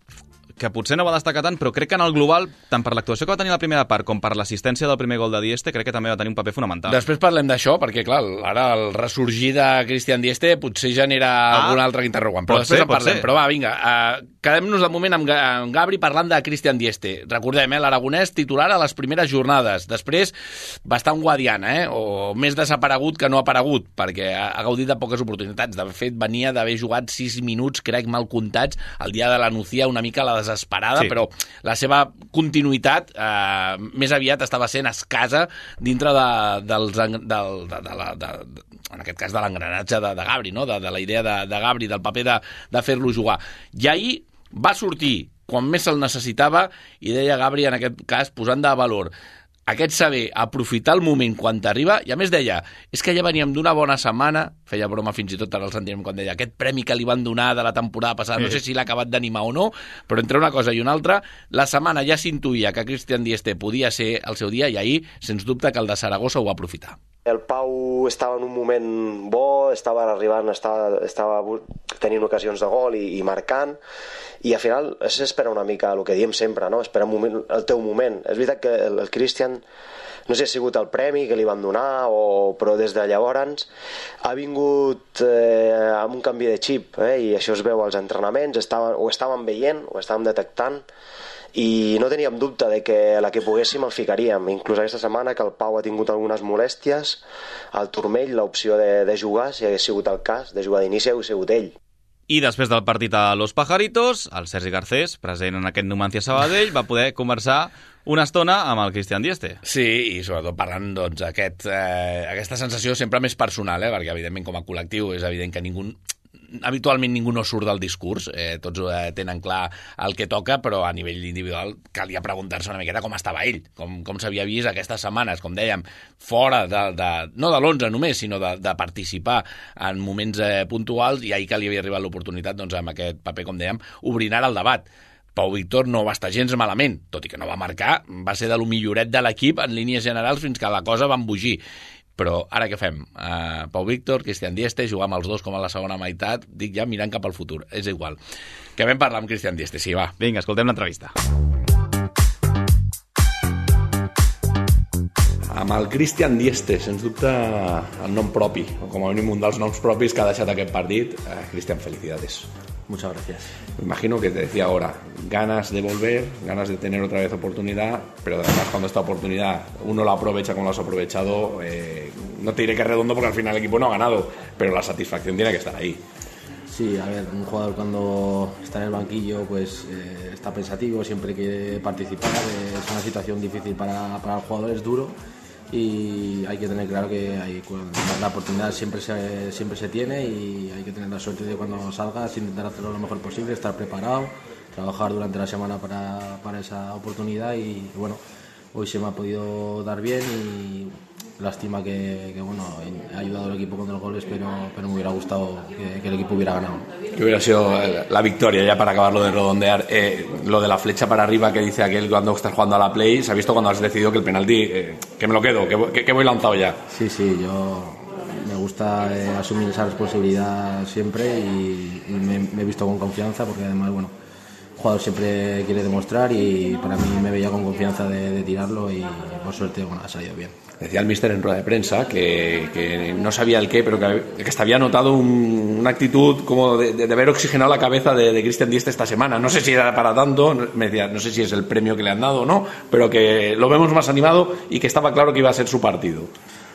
que potser no va destacar tant, però crec que en el global, tant per l'actuació que va tenir la primera part com per l'assistència del primer gol de Dieste, crec que també va tenir un paper fonamental. Després parlem d'això, perquè clar, ara el ressorgir de Christian Dieste potser genera ah, algun altre interrogant, però després ser, en parlem. Però va, vinga, uh, quedem-nos de moment amb, amb Gabri parlant de Christian Dieste. Recordem, eh, l'aragonès titular a les primeres jornades, després bastant guadiana, eh, o més desaparegut que no aparegut, perquè ha, ha gaudit de poques oportunitats. De fet, venia d'haver jugat sis minuts, crec, mal comptats, el dia de la Nucía, una mica la desesperada, sí. Però la seva continuïtat eh, més aviat estava sent escassa dintre de, dels, del, de, de, la, de, de, en aquest cas de l'engranatge de, de Gabri, no? de, de la idea de, de Gabri, del paper de, de fer-lo jugar. I ahir va sortir quan més se'l necessitava i deia Gabri, en aquest cas, posant de valor aquest saber aprofitar el moment quan t'arriba, i a més deia, és que ja veníem d'una bona setmana, feia broma fins i tot ara el sentirem quan deia, aquest premi que li van donar de la temporada passada, sí. No sé si l'ha acabat d'animar o no, però entre una cosa i una altra, la setmana ja s'intuïa que Christian Dieste podia ser el seu dia, i ahir, sens dubte, que el de Saragossa ho va aprofitar. El Pau estava en un moment bo, estava arribant, estava, estava tenint ocasions de gol i, i marcant, i al final s'espera una mica el que diem sempre, no? Espera un moment, el teu moment. És veritat que el, el Christian, no sé si ha sigut el premi que li van donar, o, però des de llavors ha vingut eh, amb un canvi de xip, eh? I això es veu als entrenaments, estaven, ho estàvem veient, ho estàvem detectant, i no teníem dubte de que a la que poguéssim el ficaríem. Inclús aquesta setmana que el Pau ha tingut algunes molèsties al turmell, l'opció de, de jugar, si hagués sigut el cas, de jugar d'inici, hagués sigut ell. I després del partit a Los Pajaritos, el Sergi Garcés, present en aquest Numancia Sabadell, va poder conversar una estona amb el Christian Dieste. Sí, i sobretot parlant doncs, aquest, eh, aquesta sensació sempre més personal, eh, perquè evidentment com a col·lectiu és evident que ningú... habitualment ningú no surt del discurs, eh, tots eh, tenen clar el que toca, però a nivell individual calia preguntar-se una miqueta com estava ell, com, com s'havia vist aquestes setmanes, com dèiem, fora de, de, no de l'onze només, sinó de, de participar en moments eh, puntuals, i ahir que li havia arribat l'oportunitat, doncs amb aquest paper, com dèiem, obrint ara el debat. Pau Víctor no va estar gens malament, tot i que no va marcar, va ser de lo milloret de l'equip en línies generals fins que la cosa va embogir. Però ara què fem? Uh, Pau Víctor, Christian Dieste, jugar amb els dos com a la segona meitat, dic ja mirant cap al futur, és igual. Que vam parlar amb Christian Dieste, sí, va. Vinga, escoltem l'entrevista. Amb el Christian Dieste, sens dubte el nom propi, o com a mínim un dels noms propis que ha deixat aquest partit. Eh, Christian, felicidades. Muchas gracias. Me imagino que te decía ahora, ganas de volver, ganas de tener otra vez oportunidad, pero además cuando esta oportunidad uno la aprovecha como lo has aprovechado, eh, no te diré que es redondo porque al final el equipo no ha ganado, pero la satisfacción tiene que estar ahí. Sí, a ver, un jugador cuando está en el banquillo pues eh, está pensativo, siempre quiere participar, eh, es una situación difícil para, para el jugador, es duro. Y hay que tener claro que hay, la oportunidad siempre se, siempre se tiene, y hay que tener la suerte de cuando salgas intentar hacerlo lo mejor posible, estar preparado, trabajar durante la semana para, para esa oportunidad, y bueno, hoy se me ha podido dar bien y lástima que, que bueno, he ayudado al equipo con los goles, pero, pero me hubiera gustado que, que el equipo hubiera ganado. Que hubiera sido la victoria, ya para acabarlo de redondear. Eh, lo de la flecha para arriba que dice aquel cuando estás jugando a la Play, se ha visto cuando has decidido que el penalti, eh, que me lo quedo, que, que, que voy lanzado ya. Sí, sí, yo me gusta eh, asumir esa responsabilidad siempre, y, y me, me he visto con confianza, porque además, bueno, el jugador siempre quiere demostrar, y para mí me veía con confianza de, de tirarlo, y por suerte, bueno, ha salido bien. Decía el míster en rueda de prensa que, que no sabía el qué, pero que, que hasta había notado un, una actitud como de, de, de haber oxigenado la cabeza de, de Christian Dieste esta semana. No sé si era para tanto, me decía, no sé si es el premio que le han dado o no, pero que lo vemos más animado y que estaba claro que iba a ser su partido.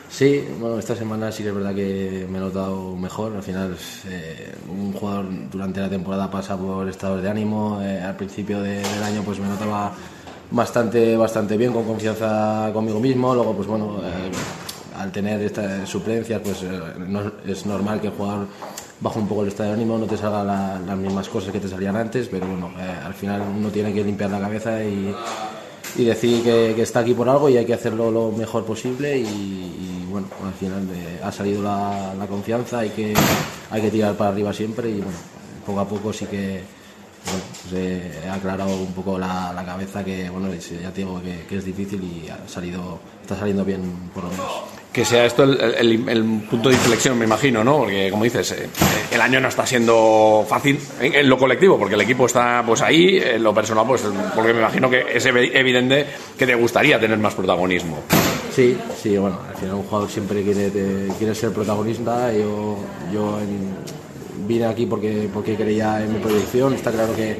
Sí, bueno, esta semana sí que es verdad que me he notado mejor. Al final, eh, un jugador durante la temporada pasa por estados de ánimo. Eh, al principio de, del año pues me notaba bastante bastante bien, con confianza conmigo mismo. Luego pues bueno, eh, al tener estas suplencias, pues eh, no, es normal que el jugador baje un poco el estado de ánimo, no te salgan la, las mismas cosas que te salían antes, pero bueno, eh, al final uno tiene que limpiar la cabeza y, y decir que, que está aquí por algo y hay que hacerlo lo mejor posible y, y bueno, al final eh, ha salido la, la confianza, hay que, hay que tirar para arriba siempre y bueno, poco a poco sí que bueno, pues he aclarado un poco la, la cabeza que bueno, ya te digo que, que es difícil y ha salido, está saliendo bien por lo menos. Que sea esto el, el, el punto de inflexión, me imagino, ¿no? Porque, como dices, eh, el año no está siendo fácil en, en lo colectivo, porque el equipo está pues ahí, en lo personal, pues porque me imagino que es evidente que te gustaría tener más protagonismo. Sí, sí, bueno, al final un jugador siempre quiere, te, quiere ser protagonista. Yo, yo en, vine aquí porque, porque creía en mi proyección, está claro que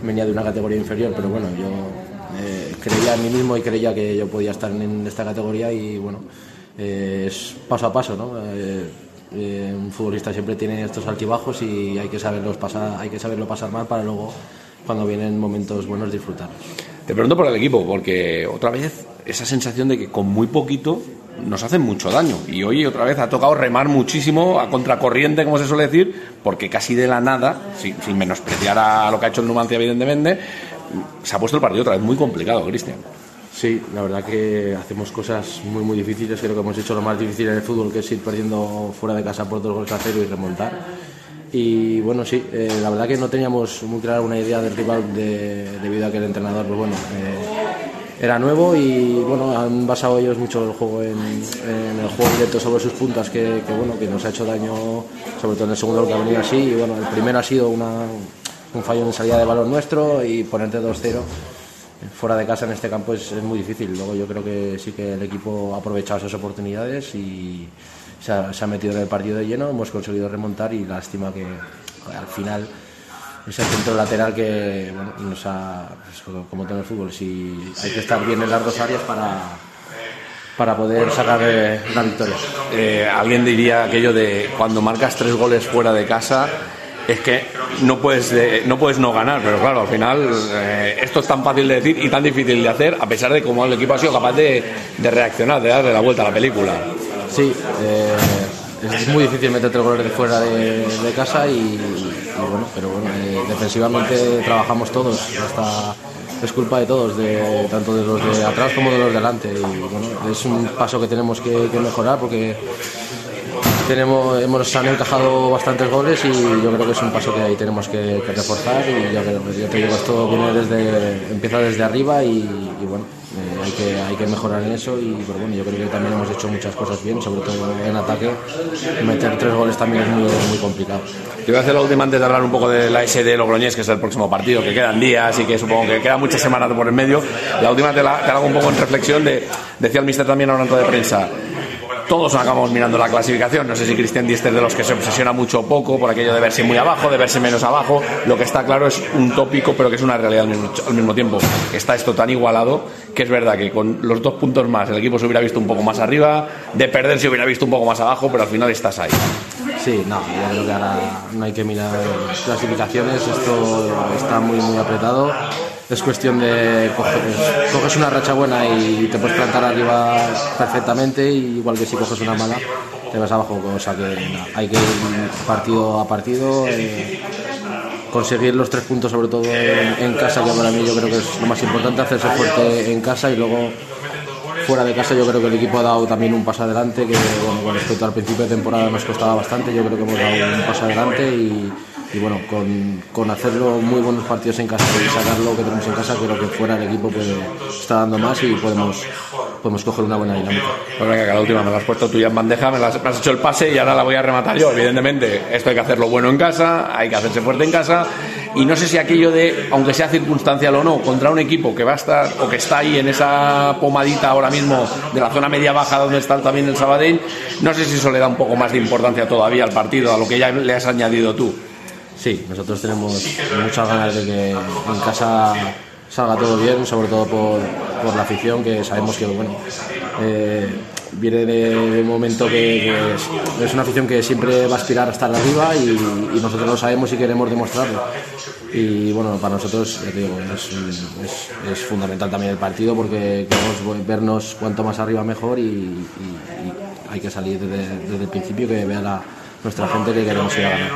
venía de una categoría inferior, pero bueno, yo eh, creía en mí mismo y creía que yo podía estar en esta categoría y bueno, eh, es paso a paso, ¿no? Eh, eh, un futbolista siempre tiene estos altibajos y hay que saberlos pasar, hay que saberlo pasar mal para luego, cuando vienen momentos buenos, disfrutarlos. Te pregunto por el equipo, porque otra vez esa sensación de que con muy poquito nos hacen mucho daño y hoy otra vez ha tocado remar muchísimo a contracorriente, como se suele decir, porque casi de la nada, sin, sin menospreciar a lo que ha hecho el Numancia evidentemente, se ha puesto el partido otra vez muy complicado, Cristian. Sí, la verdad que hacemos cosas muy muy difíciles, creo que hemos hecho lo más difícil en el fútbol, que es ir perdiendo fuera de casa por dos goles a cero y remontar. Y bueno, sí, eh, la verdad que no teníamos muy clara una idea del rival de, debido a que el entrenador, pues bueno, eh, era nuevo y bueno, han basado ellos mucho el juego en, en el juego directo sobre sus puntas, que, que bueno, que nos ha hecho daño, sobre todo en el segundo que ha venido así. Y bueno, el primero ha sido una, un fallo en salida de balón nuestro y ponerte dos cero fuera de casa en este campo es, es muy difícil. Luego yo creo que sí que el equipo ha aprovechado esas oportunidades y se ha, se ha metido en el partido de lleno, hemos conseguido remontar y lástima que al final ese centro lateral que bueno, nos ha, pues, como todo el fútbol, si hay que estar bien en las dos áreas para, para poder sacar eh, la victoria. Eh, alguien diría aquello de cuando marcas tres goles fuera de casa es que no puedes, eh, no puedes no ganar, pero claro, al final eh, esto es tan fácil de decir y tan difícil de hacer, a pesar de cómo el equipo ha sido capaz de, de reaccionar, de darle la vuelta a la película. Sí, eh, es muy difícil meter tres goles de fuera de, de casa y, y bueno, pero bueno, eh, defensivamente trabajamos todos, hasta es culpa de todos, de, tanto de los de atrás como de los de delante y bueno, es un paso que tenemos que, que mejorar porque tenemos, hemos han encajado bastantes goles y yo creo que es un paso que ahí tenemos que, que reforzar y yo creo que yo te digo, esto viene desde, empieza desde arriba y, y bueno, eh, hay que hay que mejorar en eso y pero bueno, yo creo que también hemos hecho muchas cosas bien, sobre todo en ataque. Meter tres goles también es muy, muy complicado. Te voy a hacer la última antes de hablar un poco de la S D Logroñés, que es el próximo partido, que quedan días y que supongo que quedan muchas semanas por en medio. La última te la, te la hago un poco en reflexión de, decía el míster también ahora en rueda de prensa, todos acabamos mirando la clasificación, no sé si Cristian Dieste es de los que se obsesiona mucho o poco por aquello de verse muy abajo, de verse menos abajo. Lo que está claro es un tópico, pero que es una realidad al mismo, al mismo tiempo. Está esto tan igualado que es verdad que con los dos puntos más el equipo se hubiera visto un poco más arriba, de perder se hubiera visto un poco más abajo, pero al final estás ahí. Sí, no, yo creo que ahora no hay que mirar clasificaciones, esto está muy muy apretado. Es cuestión de coger, coges una racha buena y te puedes plantar arriba perfectamente, igual que si coges una mala te vas abajo, o sea que no, hay que ir partido a partido, eh, conseguir los tres puntos sobre todo en, en casa, que para mí yo creo que es lo más importante, hacerse fuerte en casa y luego fuera de casa. Yo creo que el equipo ha dado también un paso adelante, que bueno, con respecto al principio de temporada nos costaba bastante, yo creo que hemos dado un paso adelante y y bueno, con, con hacerlo muy buenos partidos en casa y sacar lo que tenemos en casa, creo que fuera el equipo puede, está dando más y podemos, podemos coger una buena dinámica. Pues venga, que la última me la has puesto tú ya en bandeja, me, las, me has hecho el pase y ahora la voy a rematar yo. Evidentemente, esto hay que hacerlo bueno en casa, hay que hacerse fuerte en casa y no sé si aquello de, aunque sea circunstancial o no, contra un equipo que va a estar o que está ahí en esa pomadita ahora mismo de la zona media-baja donde está también el Sabadell, no sé si eso le da un poco más de importancia todavía al partido, a lo que ya le has añadido tú. Sí, nosotros tenemos muchas ganas de que en casa salga todo bien, sobre todo por, por la afición, que sabemos que bueno, eh, viene de, de un momento que, que es, es una afición que siempre va a aspirar a estar arriba y, y nosotros lo sabemos y queremos demostrarlo. Y bueno, para nosotros ya te digo, es, es, es fundamental también el partido porque queremos vernos cuanto más arriba mejor y, y, hay que salir desde, desde el principio, que vea la, nuestra gente que queremos ir a ganar.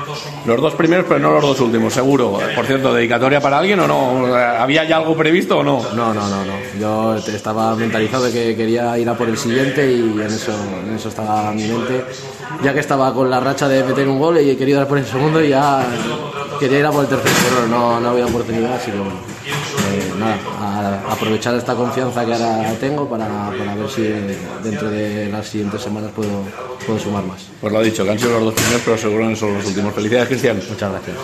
Los dos primeros, pero no los dos últimos, seguro. Por cierto, ¿dedicatoria para alguien o no? ¿Había ya algo previsto o no? No, no, no, no. Yo estaba mentalizado de que quería ir a por el siguiente y en eso, en eso estaba mi mente. Ya que estaba con la racha de meter un gol y he querido ir a por el segundo y ya quería ir a por el tercero, pero no, no había oportunidad, así que bueno. Eh, nada, a aprovechar esta confianza que ahora tengo para, para ver si dentro de las siguientes semanas puedo, puedo sumar más. Pues lo ha dicho, que han sido los dos primeros, pero seguro no son los últimos. Felicidades, Cristian. Muchas gracias.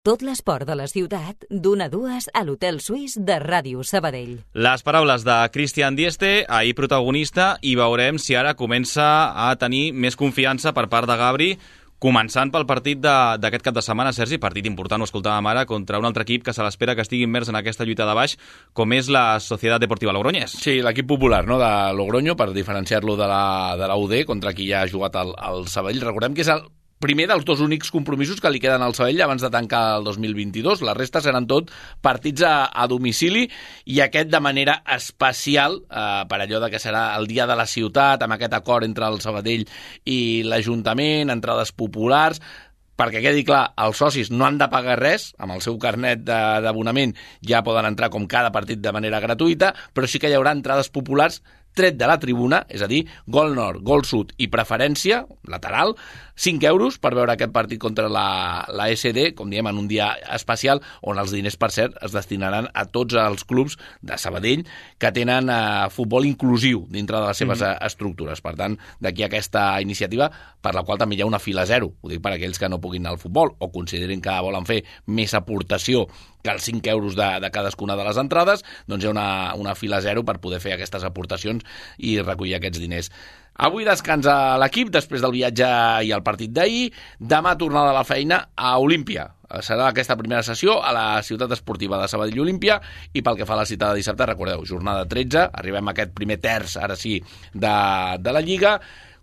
Tot l'esport de la ciutat, d'una a dues a l'Hotel Suís de Ràdio Sabadell. Les paraules de Christian Dieste, ahir protagonista, i veurem si ara comença a tenir més confiança per part de Gabri, començant pel partit d'aquest cap de setmana, Sergi, partit important, ho escoltàvem ara, contra un altre equip que se l'espera que estigui immers en aquesta lluita de baix, com és la Societat Deportiva Logroñés. Sí, l'equip popular, no?, de Logroño, per diferenciar-lo de la, de la U D, contra qui ja ha jugat el, el Sabadell. Recordem que és el primer dels dos únics compromisos que li queden al Sabadell abans de tancar el dos mil vint-i-dos. La resta seran tot partits a, a domicili, i aquest de manera especial, eh, per allò de que serà el dia de la ciutat, amb aquest acord entre el Sabadell i l'Ajuntament, entrades populars, perquè quedi clar, els socis no han de pagar res, amb el seu carnet d'abonament ja poden entrar com cada partit de manera gratuïta, però sí que hi haurà entrades populars tret de la tribuna, és a dir, gol nord, gol sud i preferència, lateral, cinc euros per veure aquest partit contra la, la S D, com diem, en un dia especial, on els diners, per cert, es destinaran a tots els clubs de Sabadell que tenen eh, futbol inclusiu dintre de les seves mm. estructures. Per tant, d'aquí aquesta iniciativa, per la qual també hi ha una fila zero. Ho dic per aquells que no puguin anar al futbol o considerin que volen fer més aportació que els cinc euros de, de cadascuna de les entrades, doncs hi ha una, una fila zero per poder fer aquestes aportacions i recollir aquests diners. Avui descansa l'equip després del viatge i el partit d'ahir. Demà tornada a la feina a Olímpia. Serà aquesta primera sessió a la ciutat esportiva de Sabadell Olímpia, i pel que fa a la cita de dissabte, recordeu, jornada tretze, arribem a aquest primer terç, ara sí, de, de la Lliga,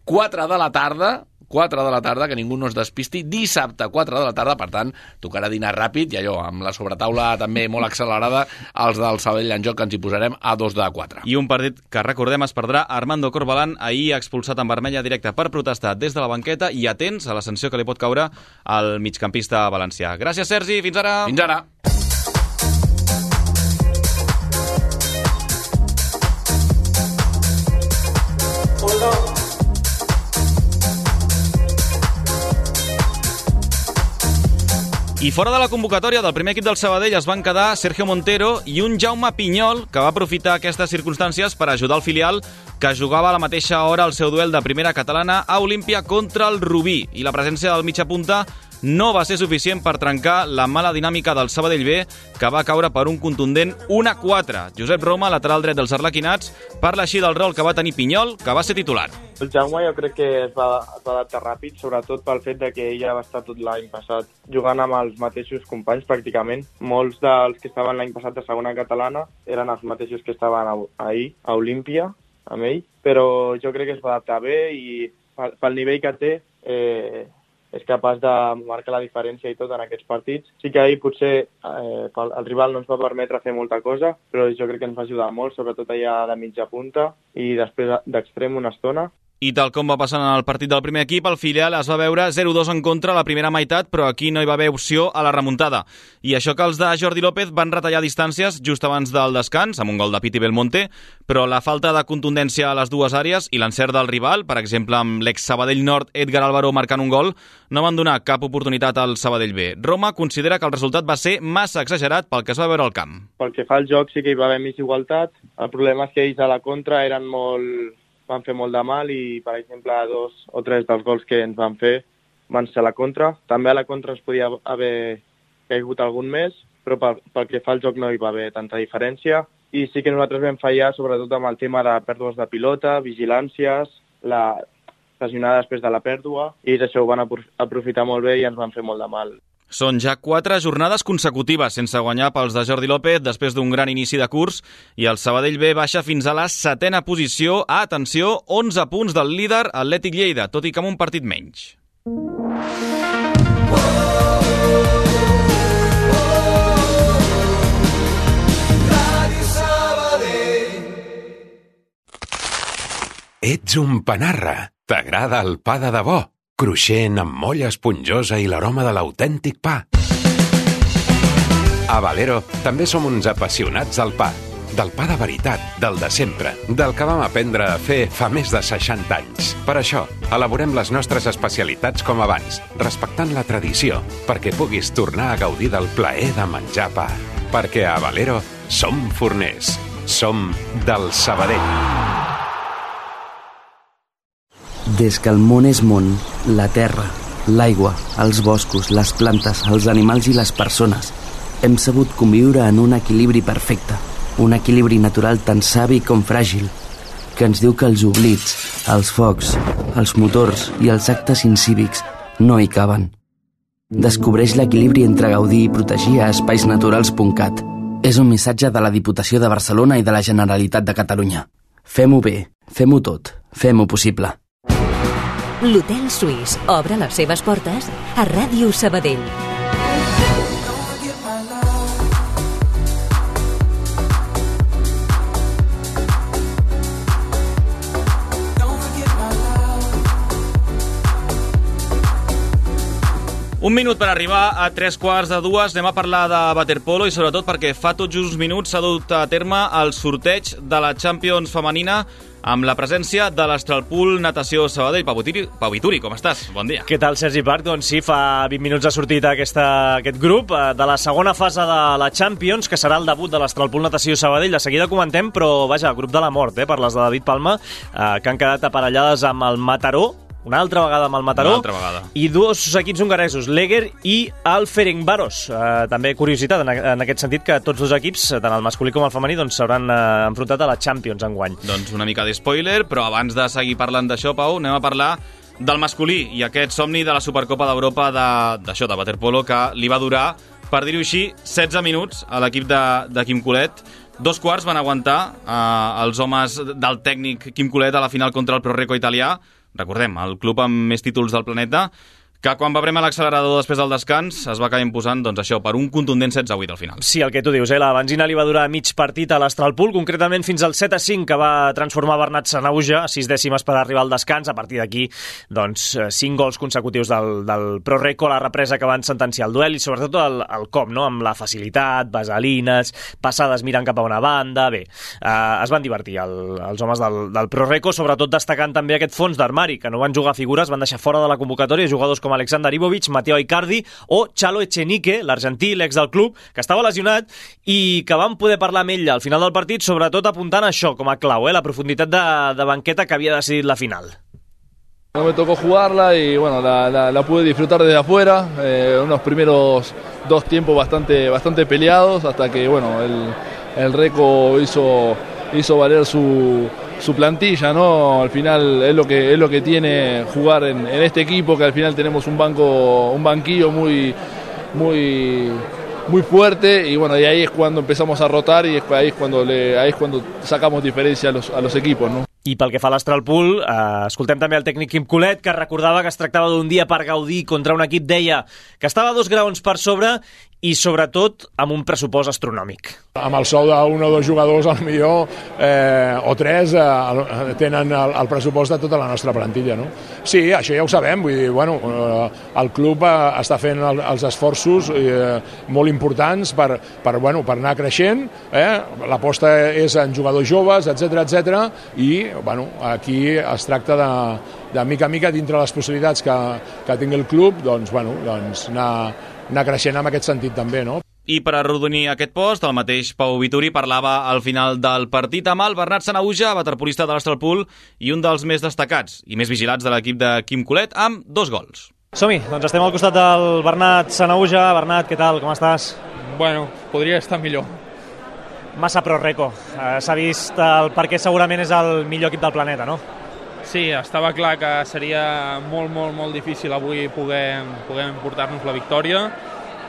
quatre de la tarda, quatre de la tarda, que ningú no es despisti, dissabte, quatre de la tarda, per tant, tocarà dinar ràpid, i allò, amb la sobretaula també molt accelerada, els del Sabadell en joc, que ens hi posarem a dos de quatre. I un partit que, recordem, es perdrà Armando Corbalán, ahir expulsat en vermella directa per protestar des de la banqueta, i atents a la sanció que li pot caure al migcampista valencià. Gràcies, Sergi, fins ara! Fins ara! I fora de la convocatòria del primer equip del Sabadell es van quedar Sergio Montero i un Jaume Pinyol, que va aprofitar aquestes circumstàncies per ajudar el filial, que jugava a la mateixa hora el seu duel de primera catalana a Olímpia contra el Rubí. I la presència del mitjapunta no va ser suficient per trencar la mala dinàmica del Sabadell B, que va caure per un contundent un a quatre. Josep Roma, lateral dret dels arlequinats, parla així del rol que va tenir Pinyol, que va ser titular. El Jaume jo crec que es va, es va adaptar ràpid, sobretot pel fet de que ella va estar tot l'any passat jugant amb els mateixos companys pràcticament. Molts dels que estaven l'any passat a segona catalana eren els mateixos que estaven ahir a Olímpia amb ell, però jo crec que es va adaptar bé i pel, pel nivell que té eh, és capaç de marcar la diferència i tot en aquests partits. Sí que ahir potser eh, el rival no ens va permetre fer molta cosa, però jo crec que ens va ajudar molt, sobretot allà de mitja punta i després d'extrem una estona. I tal com va passar en el partit del primer equip, el filial es va veure zero dos en contra a la primera meitat, però aquí no hi va haver opció a la remuntada. I això que els de Jordi López van retallar distàncies just abans del descans, amb un gol de Piti Belmonte, però la falta de contundència a les dues àrees i l'encert del rival, per exemple amb l'ex-Sabadell Nord Edgar Álvaro marcant un gol, no van donar cap oportunitat al Sabadell B. Roma considera que el resultat va ser massa exagerat pel que es va veure al camp. Pel que fa al joc sí que hi va haver més igualtat. El problema és que ells a la contra eren molt... van fer molt de mal i, per exemple, dos o tres dels gols que ens van fer van ser a la contra. També a la contra ens podia haver caigut algun més, però pel, pel que fa al joc no hi va haver tanta diferència. I sí que nosaltres vam fallar, sobretot amb el tema de pèrdues de pilota, vigilàncies, la pressionada després de la pèrdua, i això ho van aprofitar molt bé i ens van fer molt de mal. Són ja quatre jornades consecutives sense guanyar pels de Jordi López després d'un gran inici de curs, i el Sabadell B baixa fins a la setena posició a, atenció, onze punts del líder Atlètic Lleida, tot i que amb un partit menys. Ets un panarra. T'agrada el pa de debò? Cruixent, amb molla esponjosa i l'aroma de l'autèntic pa. A Valero també som uns apassionats del pa. Del pa de veritat, del de sempre, del que vam aprendre a fer fa més de seixanta anys. Per això, elaborem les nostres especialitats com abans, respectant la tradició, perquè puguis tornar a gaudir del plaer de menjar pa. Perquè a Valero som forners. Som del Sabadell. Des que el món és món, la terra, l'aigua, els boscos, les plantes, els animals i les persones, hem sabut conviure en un equilibri perfecte, un equilibri natural tan savi com fràgil, que ens diu que els oblits, els focs, els motors i els actes incívics no hi caben. Descobreix l'equilibri entre gaudir i protegir a espais naturals punt cat. És un missatge de la Diputació de Barcelona i de la Generalitat de Catalunya. Fem-ho bé, fem-ho tot, fem-ho possible. L'Hotel Suís obre les seves portes a Ràdio Sabadell. Un minut per arribar a tres quarts de dues. Anem a parlar de waterpolo i sobretot perquè fa tot just uns minuts s'ha dut a terme el sorteig de la Champions femenina amb la presència de l'Astralpool Natació Sabadell. Pau Vituri, Pau Vituri, com estàs? Bon dia. Què tal, Sergi Parc? Doncs sí, fa vint minuts ha sortit aquesta, aquest grup de la segona fase de la Champions, que serà el debut de l'Astralpool Natació Sabadell. De seguida comentem, però vaja, grup de la mort, eh, per les de David Palma, eh, que han quedat aparellades amb el Mataró, una altra vegada amb el Mataró, una altra vegada. I dos equips hongaresos, l'Eger i el Ferencváros. Eh, també curiositat en, en aquest sentit que tots dos equips, tant el masculí com el femení, doncs s'hauran eh, enfrontat a la Champions enguany. Doncs una mica de spoiler, però abans de seguir parlant d'això, Pau, anem a parlar del masculí i aquest somni de la Supercopa d'Europa d'això, de, de waterpolo, que li va durar, per dir-ho així, setze minuts a l'equip de, de Quim Colet. Dos quarts van aguantar eh, els homes del tècnic Quim Colet a la final contra el Proreco italià. Recordem, el club amb més títols del planeta, que quan va premar l'accelerador després del descans es va acabar imposant, doncs això, per un contundent setze a vuit al final. Sí, el que tu dius, eh? La benzina li va durar mig partit a l'Astralpool, concretament fins al set a cinc, que va transformar Bernat Sanauja a sis dècimes per arribar al descans. A partir d'aquí, doncs, cinc gols consecutius del, del Proreco, la represa que van sentenciar el duel i sobretot el, el cop, no?, amb la facilitat, vaselines, passades mirant cap a una banda. Bé, eh, es van divertir el, els homes del, del Proreco, sobretot destacant també aquest fons d'armari, que no van jugar figures, van deixar fora de la convocatòria jugadors com Alexander Ivovic, Mateo Icardi o Chalo Echenique, l'argentí, l'ex del club, que estava lesionat i que vam poder parlar amb ell al final del partit, sobretot apuntant això com a clau, eh, la profunditat de, de banqueta que havia decidit la final. No me tocó jugarla y bueno, la, la, la pude disfrutar desde afuera, eh, unos primeros dos tiempos bastante, bastante peleados, hasta que bueno, el, el Reco hizo, hizo valer su... su plantilla, ¿no? Al final es lo que es lo que tiene jugar en, en este equipo, que al final tenemos un banco, un banquillo muy muy muy fuerte y bueno, y ahí es cuando empezamos a rotar y ahí es cuando le, ahí es cuando sacamos diferencia a los, a los equipos, ¿no? I pel que fa a l'Astralpool, eh, escoltem també el tècnic Quim Colet, que recordava que es tractava d'un dia per gaudir contra un equip, deia, que estava dos graons per sobre i sobretot amb un pressupost astronòmic. Amb el sou d'un o dos jugadors, al millor, eh, o tres, eh, tenen el, el pressupost de tota la nostra plantilla, no? Sí, això ja ho sabem, vull dir, bueno, eh, el club eh, està fent el, els esforços eh, molt importants per, per, bueno, per anar creixent, eh? L'aposta és en jugadors joves, etcètera, etcètera, i bueno, aquí es tracta de, de mica a mica, dintre les possibilitats que, que tingui el club, doncs, bueno, doncs anar, anar creixent en aquest sentit també, no? I per arrodonir aquest post, el mateix Pau Vituri parlava al final del partit amb el Bernat Sanauja, waterpolista de l'Astralpool i un dels més destacats i més vigilats de l'equip de Quim Colet, amb dos gols. Som-hi, doncs estem al costat del Bernat Sanauja. Bernat, què tal, com estàs? Bueno, podria estar millor. Massa Proreco. Eh, S'ha vist el perquè segurament és el millor equip del planeta, no? Sí, estava clar que seria molt, molt, molt difícil avui poder, poder portar-nos la victòria.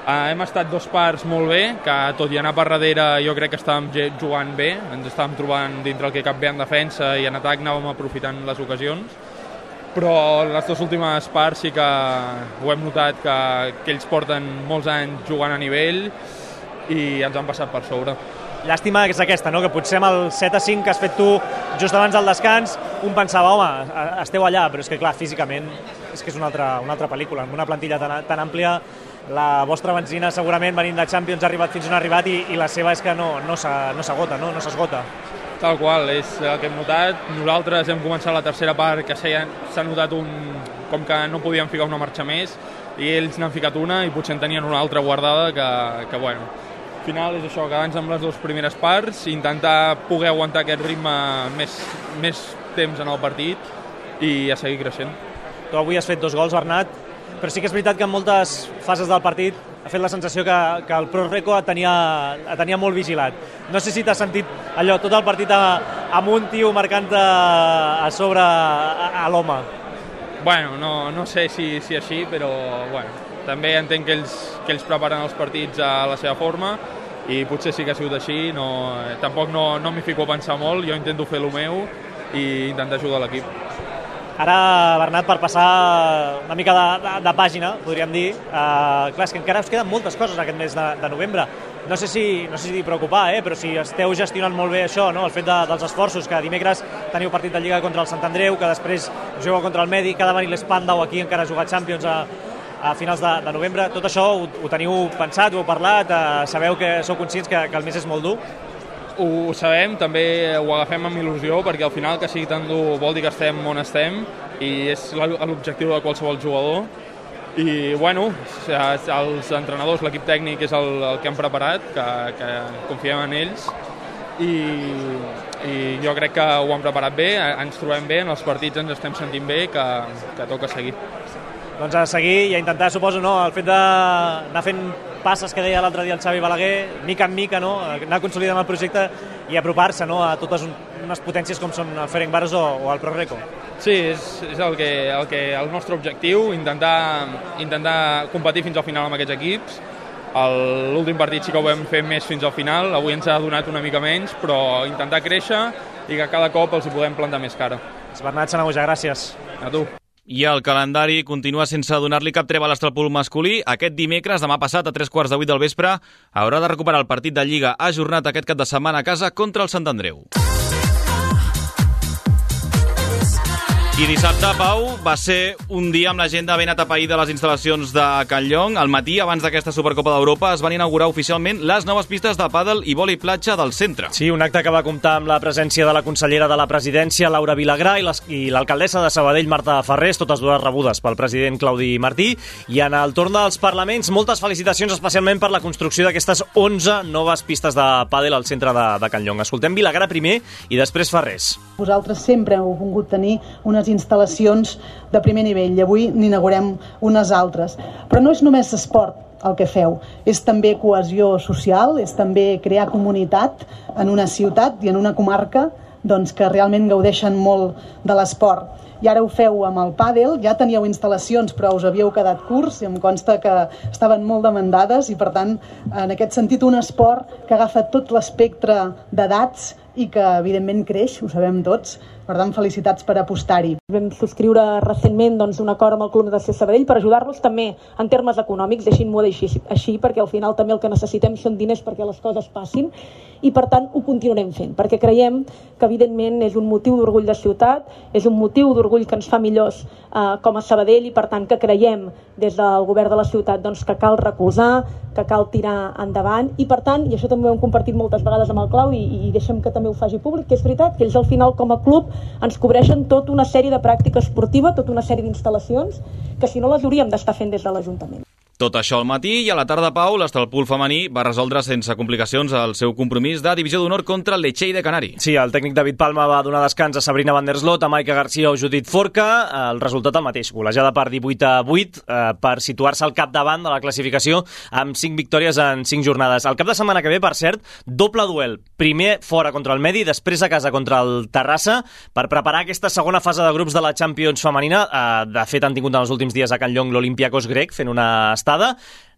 Eh, hem estat dos parts molt bé, que tot i anar per darrere jo crec que estàvem jugant bé, ens estàvem trobant dintre el que cap bé en defensa i en atac anàvem aprofitant les ocasions, però les dues últimes parts sí que ho hem notat que, que ells porten molts anys jugant a nivell i ens han passat per sobre. llàstima és aquesta, no? Que potser amb el set a cinc que has fet tu just abans del descans, un pensava, home, esteu allà, però és que clar, físicament és que és una altra, una altra pel·lícula, amb una plantilla tan, tan àmplia. La vostra benzina segurament venint de Champions ha arribat fins on ha arribat i, i la seva és que no, no s'agota, no, no s'esgota. Tal qual, és el que hem notat. Nosaltres hem començat la tercera part que s'ha notat un, com que no podíem ficar una marxa més i ells n'han ficat una i potser en tenien una altra guardada que, que bueno, al final és això, quedar-nos amb les dues primeres parts i intentar poder aguantar aquest ritme més, més temps en el partit i a seguir creixent. Tu avui has fet dos gols, Bernat, però sí que és veritat que en moltes fases del partit ha fet la sensació que, que el Pro Reco et tenia, et tenia molt vigilat. No sé si t'has sentit allò, tot el partit a, amb un tio marcant a, a sobre a, a l'home. Bueno, no, no sé si, si així, però bueno, també entenc que ells, que ells preparen els partits a la seva forma i potser sí que ha sigut així. No, tampoc no, no m'hi fico a pensar molt, jo intento fer el meu i intentar ajudar l'equip. Ara, Bernat, per passar una mica de, de, de pàgina, podríem dir, eh, clar, és que encara us queden moltes coses aquest mes de, de novembre. No sé si, no sé si preocupar, eh, però si esteu gestionant molt bé això, no? El fet de, dels esforços, que dimecres teniu partit de Lliga contra el Sant Andreu, que després jugueu contra el Medi, que ha de venir l'Espandau aquí, encara ha jugat Champions a, a finals de, de novembre. Tot això ho, ho teniu pensat, ho heu parlat, eh, sabeu que sou conscients que, que el mes és molt dur? Ho sabem, també ho agafem amb il·lusió perquè al final que sigui tan dur vol dir que estem on estem i és l'objectiu de qualsevol jugador i bueno, els entrenadors, l'equip tècnic és el, el que han preparat, que, que confiem en ells i, i jo crec que ho han preparat bé, ens trobem bé, en els partits ens estem sentint bé, que, que toca seguir. Doncs a seguir i a intentar, suposo, no, el fet d'anar fent passes que deia l'altre dia el Xavi Balaguer, mica en mica, no? Anar consolidant el projecte i apropar-se, no? A totes unes potències com són el Ferencváros o, o el Pro Reco. Sí, és, és el, que, el, que, el nostre objectiu, intentar, intentar competir fins al final amb aquests equips. L'últim partit sí que ho vam fer més fins al final, avui ens ha donat una mica menys, però intentar créixer i que cada cop els hi podem plantar més cara. Bernat Sanahuja, gràcies. A tu. I el calendari continua sense donar-li cap treva a l'Estralpol masculí. Aquest dimecres, demà passat, a tres quarts de vuit del vespre, haurà de recuperar el partit de Lliga ajornat aquest cap de setmana a casa contra el Sant Andreu. I dissabte, Pau, va ser un dia amb l'agenda ben atapeïda de les instal·lacions de Can Llong. Al matí, abans d'aquesta Supercopa d'Europa, es van inaugurar oficialment les noves pistes de pàdel i vòlei platja del centre. Sí, un acte que va comptar amb la presència de la consellera de la presidència, Laura Vilagrà, i l'alcaldessa de Sabadell, Marta Ferrés, totes dues rebudes pel president Claudi Martí. I en el torn dels parlaments, moltes felicitacions especialment per la construcció d'aquestes onze noves pistes de pàdel al centre de, de Can Llong. Escoltem Vilagrà primer i després Ferrés. Vosaltres sempre heu volgut tenir unes instal·lacions de primer nivell i avui n'inaugurem unes altres. Però no és només esport el que feu, és també cohesió social, és també crear comunitat en una ciutat i en una comarca doncs, que realment gaudeixen molt de l'esport. I ara ho feu amb el pàdel, ja teníeu instal·lacions però us havíeu quedat curts i em consta que estaven molt demandades i per tant en aquest sentit un esport que agafa tot l'espectre d'edats i que evidentment creix, ho sabem tots. Per tant, felicitats per apostar-hi. Vam subscriure recentment doncs, un acord amb el Club Natació Sabadell per ajudar-los també en termes econòmics, deixin-m'ho així, així, perquè al final també el que necessitem són diners perquè les coses passin i per tant ho continuarem fent, perquè creiem que evidentment és un motiu d'orgull de ciutat, és un motiu d'orgull que ens fa millors eh, com a Sabadell i per tant que creiem des del govern de la ciutat doncs, que cal recolzar, que cal tirar endavant i per tant, i això també ho hem compartit moltes vegades amb el Clau i, i deixem que també ho faci públic, que és veritat que ells al final com a club ens cobreixen tota una sèrie de pràctica esportiva, tota una sèrie d'instal·lacions que si no les hauríem d'estar fent des de l'Ajuntament. Tot això al matí i a la tarda, Pau, l'Estralpol femení va resoldre sense complicacions el seu compromís de divisió d'honor contra el Lecce de Canari. Sí, el tècnic David Palma va donar descans a Sabrina Van der Slot, a Maica Garcia o Judit Forca. El resultat el mateix, golejada per divuit a vuit eh, per situar-se al capdavant de la classificació amb cinc victòries en cinc jornades. El cap de setmana que ve, per cert, doble duel. Primer fora contra el Medi, després a casa contra el Terrassa, per preparar aquesta segona fase de grups de la Champions femenina. Eh, de fet, han tingut en els últims dies a Can Llong l'Olympiacos grec fent una estada.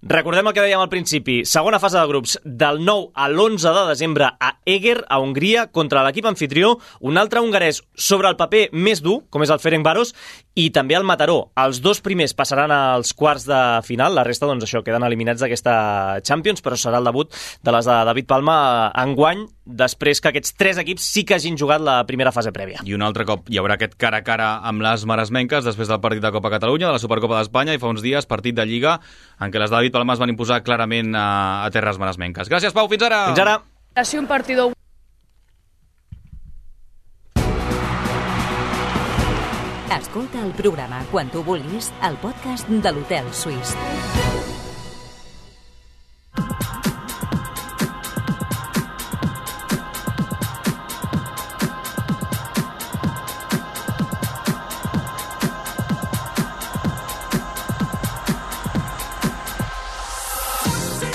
Recordem el que dèiem al principi. Segona fase de grups, del nou a l'onze de desembre a Eger, a Hongria, contra l'equip anfitrió, un altre hongarès sobre el paper més dur, com és el Ferencváros, i també el Mataró. Els dos primers passaran als quarts de final, la resta, doncs això, queden eliminats d'aquesta Champions, però serà el debut de les de David Palma enguany, després que aquests tres equips sí que hagin jugat la primera fase prèvia. I un altre cop hi haurà aquest cara a cara amb les maresmenques després del partit de Copa Catalunya, de la Supercopa d'Espanya, i fa uns dies partit de Lliga en què les de David Palma es van imposar clarament a, a terres maresmenques. Gràcies, Pau, fins ara! Fins ara! Ha sido un partido... Escolta el programa quan tu vulguis al podcast de l'Hotel Suís.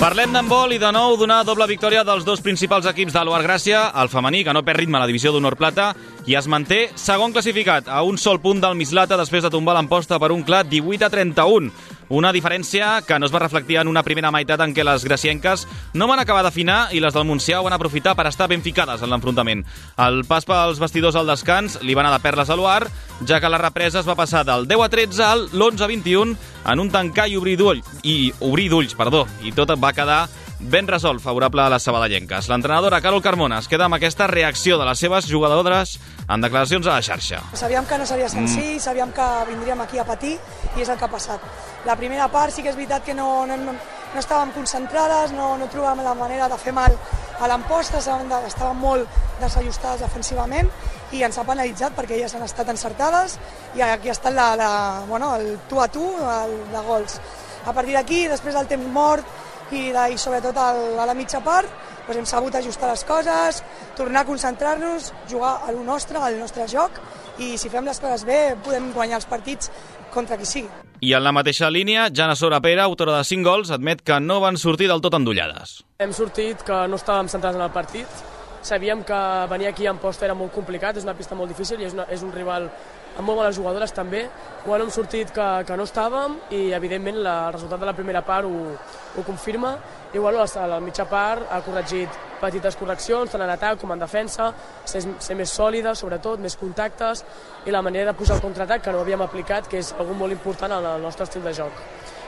Parlem d'handbol i de nou d'una doble victòria dels dos principals equips de l'O A R Gràcia, el femení, que no perd ritme a la divisió d'honor plata, i es manté segon classificat a un sol punt del Mislata després de tombar l'Amposta per un clar divuit a trenta-un. Una diferència que no es va reflectir en una primera meitat en què les gracienques no van acabar d'afinar i les del Montsià ho van aprofitar per estar ben ficades en l'enfrontament. El pas pels vestidors al descans li va anar de perles a l'O A R, ja que la represa es va passar del deu a tretze al l'onze a vint-i-un en un tancar i obrir d'ulls, i obrir d'ulls, perdó, i tot va quedar ben resolt, favorable a les sabadellenques. L'entrenadora Carol Carmona es queda amb aquesta reacció de les seves jugadores en declaracions a la xarxa. Sabíem que no seria senzill, mm. sabíem que vindríem aquí a patir i és el que ha passat. La primera part sí que és veritat que no, no, no, no estàvem concentrades, no, no trobàvem la manera de fer mal a l'Amposta, estàvem molt desajustades defensivament i ens ha penalitzat perquè elles han estat encertades i aquí ha estat la, la, bueno, el tu a tu el, de gols. A partir d'aquí, després del temps mort, i, de, i sobretot el, a la mitja part doncs hem sabut ajustar les coses, tornar a concentrar-nos, jugar a lo nostre, al nostre joc, i si fem les coses bé podem guanyar els partits contra qui sigui. I en la mateixa línia, Jana Sorapera, autora de cinc gols, admet que no van sortir del tot endollades. Hem sortit que no estàvem centrats en el partit, sabíem que venir aquí a Amposta era molt complicat, és una pista molt difícil i és, una, és un rival amb molt bones jugadores també. Bueno, hem sortit que, que no estàvem i evidentment la, el resultat de la primera part ho, ho confirma i bueno, a la mitja part ha corregit petites correccions tant en atac com en defensa, ser, ser més sòlida sobretot, més contactes i la manera de posar el contraatac que no havíem aplicat, que és algo molt important en el nostre estil de joc.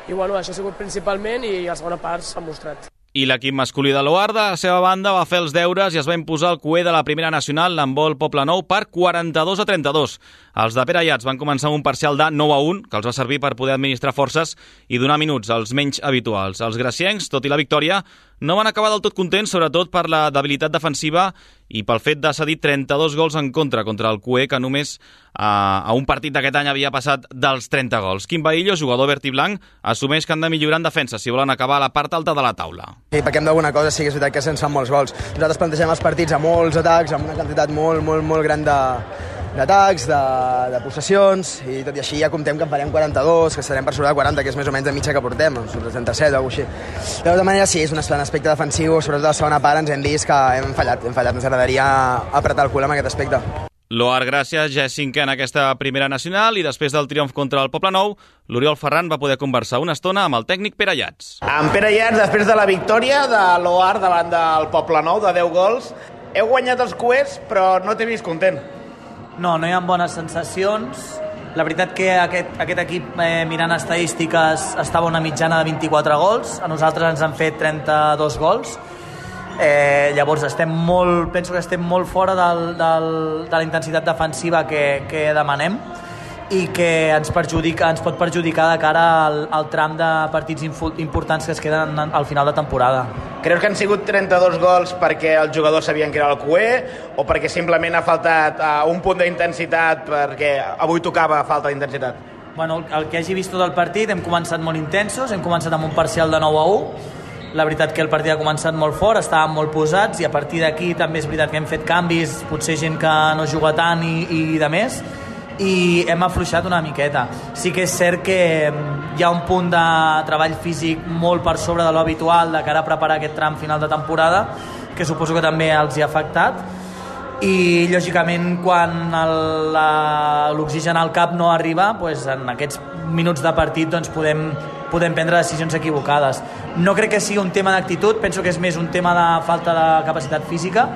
I bueno, això ha sigut principalment i a la segona part s'ha mostrat. I l'equip masculí de l'O A R, de la seva banda, va fer els deures i es va imposar el cué de la primera nacional, l'handbol Poblenou, per quaranta-dos a trenta-dos. Els de Pere Ayats van començar amb un parcial de nou a un, que els va servir per poder administrar forces i donar minuts als menys habituals. Els graciencs, tot i la victòria, no van acabar del tot contents, sobretot per la debilitat defensiva i pel fet de cedir trenta-dos gols en contra contra el cué, que només a, a un partit d'aquest any havia passat dels trenta gols. Quim Bahillo, jugador verd i blanc, assumeix que han de millorar en defensa si volen acabar a la part alta de la taula. Sí, perquè hem d'alguna cosa, sí que és veritat que se'ns fan molts gols. Nosaltres plantegem els partits amb molts atacs, amb una quantitat molt, molt, molt gran de d'atacs, de, de possessions, i tot i així ja comptem que en farem quaranta-dos, que estarem per sobre de quaranta, que és més o menys de mitja que portem, sobre trenta-set o alguna cosa així. De tota manera, sí, és un aspecte defensiu, sobretot a la segona part ens hem vist que hem fallat, hem fallat, ens agradaria apretar el cul amb aquest aspecte. L'O A R Gràcia ja és cinquè en aquesta primera nacional i després del triomf contra el Poblenou, l'Oriol Ferran va poder conversar una estona amb el tècnic Pere Ayats. En Pere Ayats, després de la victòria de l'O A R davant del Poblenou de deu gols, heu guanyat els cuers, però no t'he vist content. No, no hi ha bones sensacions. La veritat que aquest, aquest equip, eh, mirant estadístiques, estava una mitjana de vint-i-quatre gols. A nosaltres ens han fet trenta-dos gols. Eh, llavors estem molt, penso que estem molt fora del, del, de la intensitat defensiva que, que demanem i que ens, perjudica, ens pot perjudicar de cara al, al tram de partits importants que es queden al final de temporada. Creus que han sigut trenta-dos gols perquè els jugadors sabien que era el cué o perquè simplement ha faltat uh, un punt d'intensitat perquè avui tocava falta d'intensitat? Bueno, el que hagi vist tot el partit, hem començat molt intensos, hem començat amb un parcial de nou a u. La veritat que el partit ha començat molt fort, estàvem molt posats i a partir d'aquí també és veritat que hem fet canvis, potser gent que no juga tant i, i de més, i hem afluixat una miqueta. Sí que és cert que hi ha un punt de treball físic molt per sobre de l'habitual de cara a preparar aquest tram final de temporada, que suposo que també els hi ha afectat, i lògicament quan l'oxigen al cap no arriba, doncs en aquests minuts de partit doncs podem, podem prendre decisions equivocades. No crec que sigui un tema d'actitud, penso que és més un tema de falta de capacitat física,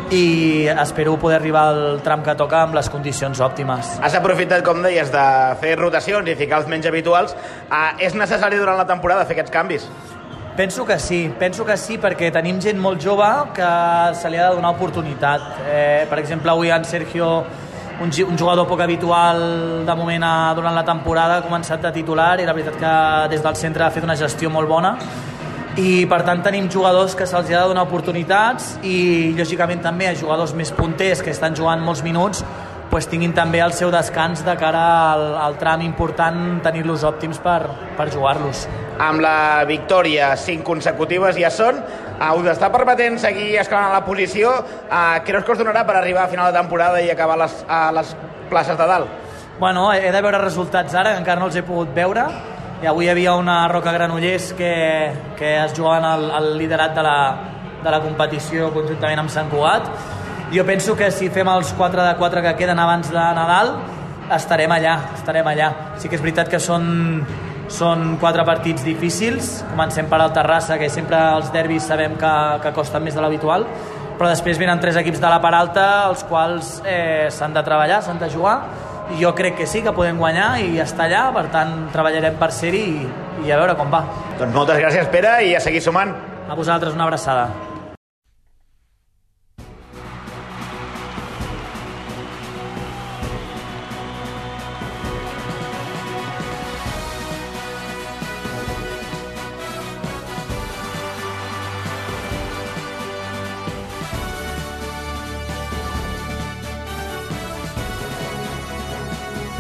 i espero poder arribar al tram que toca amb les condicions òptimes. Has aprofitat, com deies, de fer rotacions i ficar els menys habituals. Uh, és necessari durant la temporada fer aquests canvis? Penso que sí, penso que sí, perquè tenim gent molt jove que se li ha de donar oportunitat. Eh, per exemple, avui en Sergio, un, un jugador poc habitual de moment a, durant la temporada, ha començat de titular i la veritat que des del centre ha fet una gestió molt bona. I per tant tenim jugadors que se'ls ha de donar oportunitats i lògicament també a jugadors més punters que estan jugant molts minuts pues, tinguin també el seu descans de cara al, al tram important, tenir-los òptims per, per jugar-los. Amb la victòria, cinc consecutives ja són, uh, us està permetent seguir escalant la posició. Uh, creus que us donarà per arribar a final de temporada i acabar les, a les places de dalt? Bueno, he de veure resultats ara, que encara no els he pogut veure. I avui hi havia una Roca Granollers que, que es jugaven el, el liderat de la, de la competició conjuntament amb Sant Cugat. Jo penso que si fem els quatre de quatre que queden abans de Nadal estarem allà, estarem allà. Sí que és veritat que són, són quatre partits difícils. Comencem per el Terrassa, que sempre els derbis sabem que, que costen més de l'habitual, però després venen tres equips de la part alta, els quals eh, s'han de treballar, s'han de jugar. I jo crec que sí, que podem guanyar i estar allà, per tant treballarem per ser-hi i, i a veure com va. Doncs moltes gràcies, Pere, i a seguir sumant. A vosaltres una abraçada.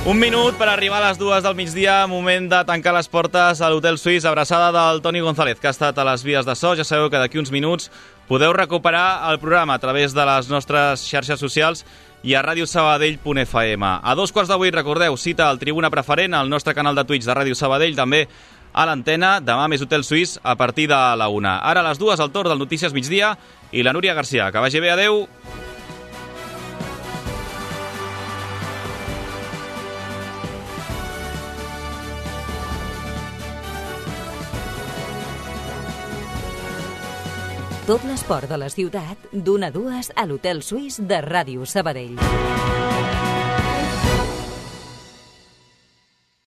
Un minut per arribar a les dues del migdia, moment de tancar les portes a l'Hotel Suís, abraçada del Toni González, que ha estat a les vies de so. Ja sabeu que d'aquí uns minuts podeu recuperar el programa a través de les nostres xarxes socials i a ràdio sabadell punt f m. A dos quarts de vuit, recordeu, cita al Tribuna Preferent, al nostre canal de Twitch de Ràdio Sabadell, també a l'antena. Demà més Hotel Suís a partir de la una. Ara a les dues, el torn del Notícies Migdia i la Núria Garcia. Que vagi bé, adeu! Tot l'esport de la ciutat, d'una a dues a l'Hotel Suís de Ràdio Sabadell.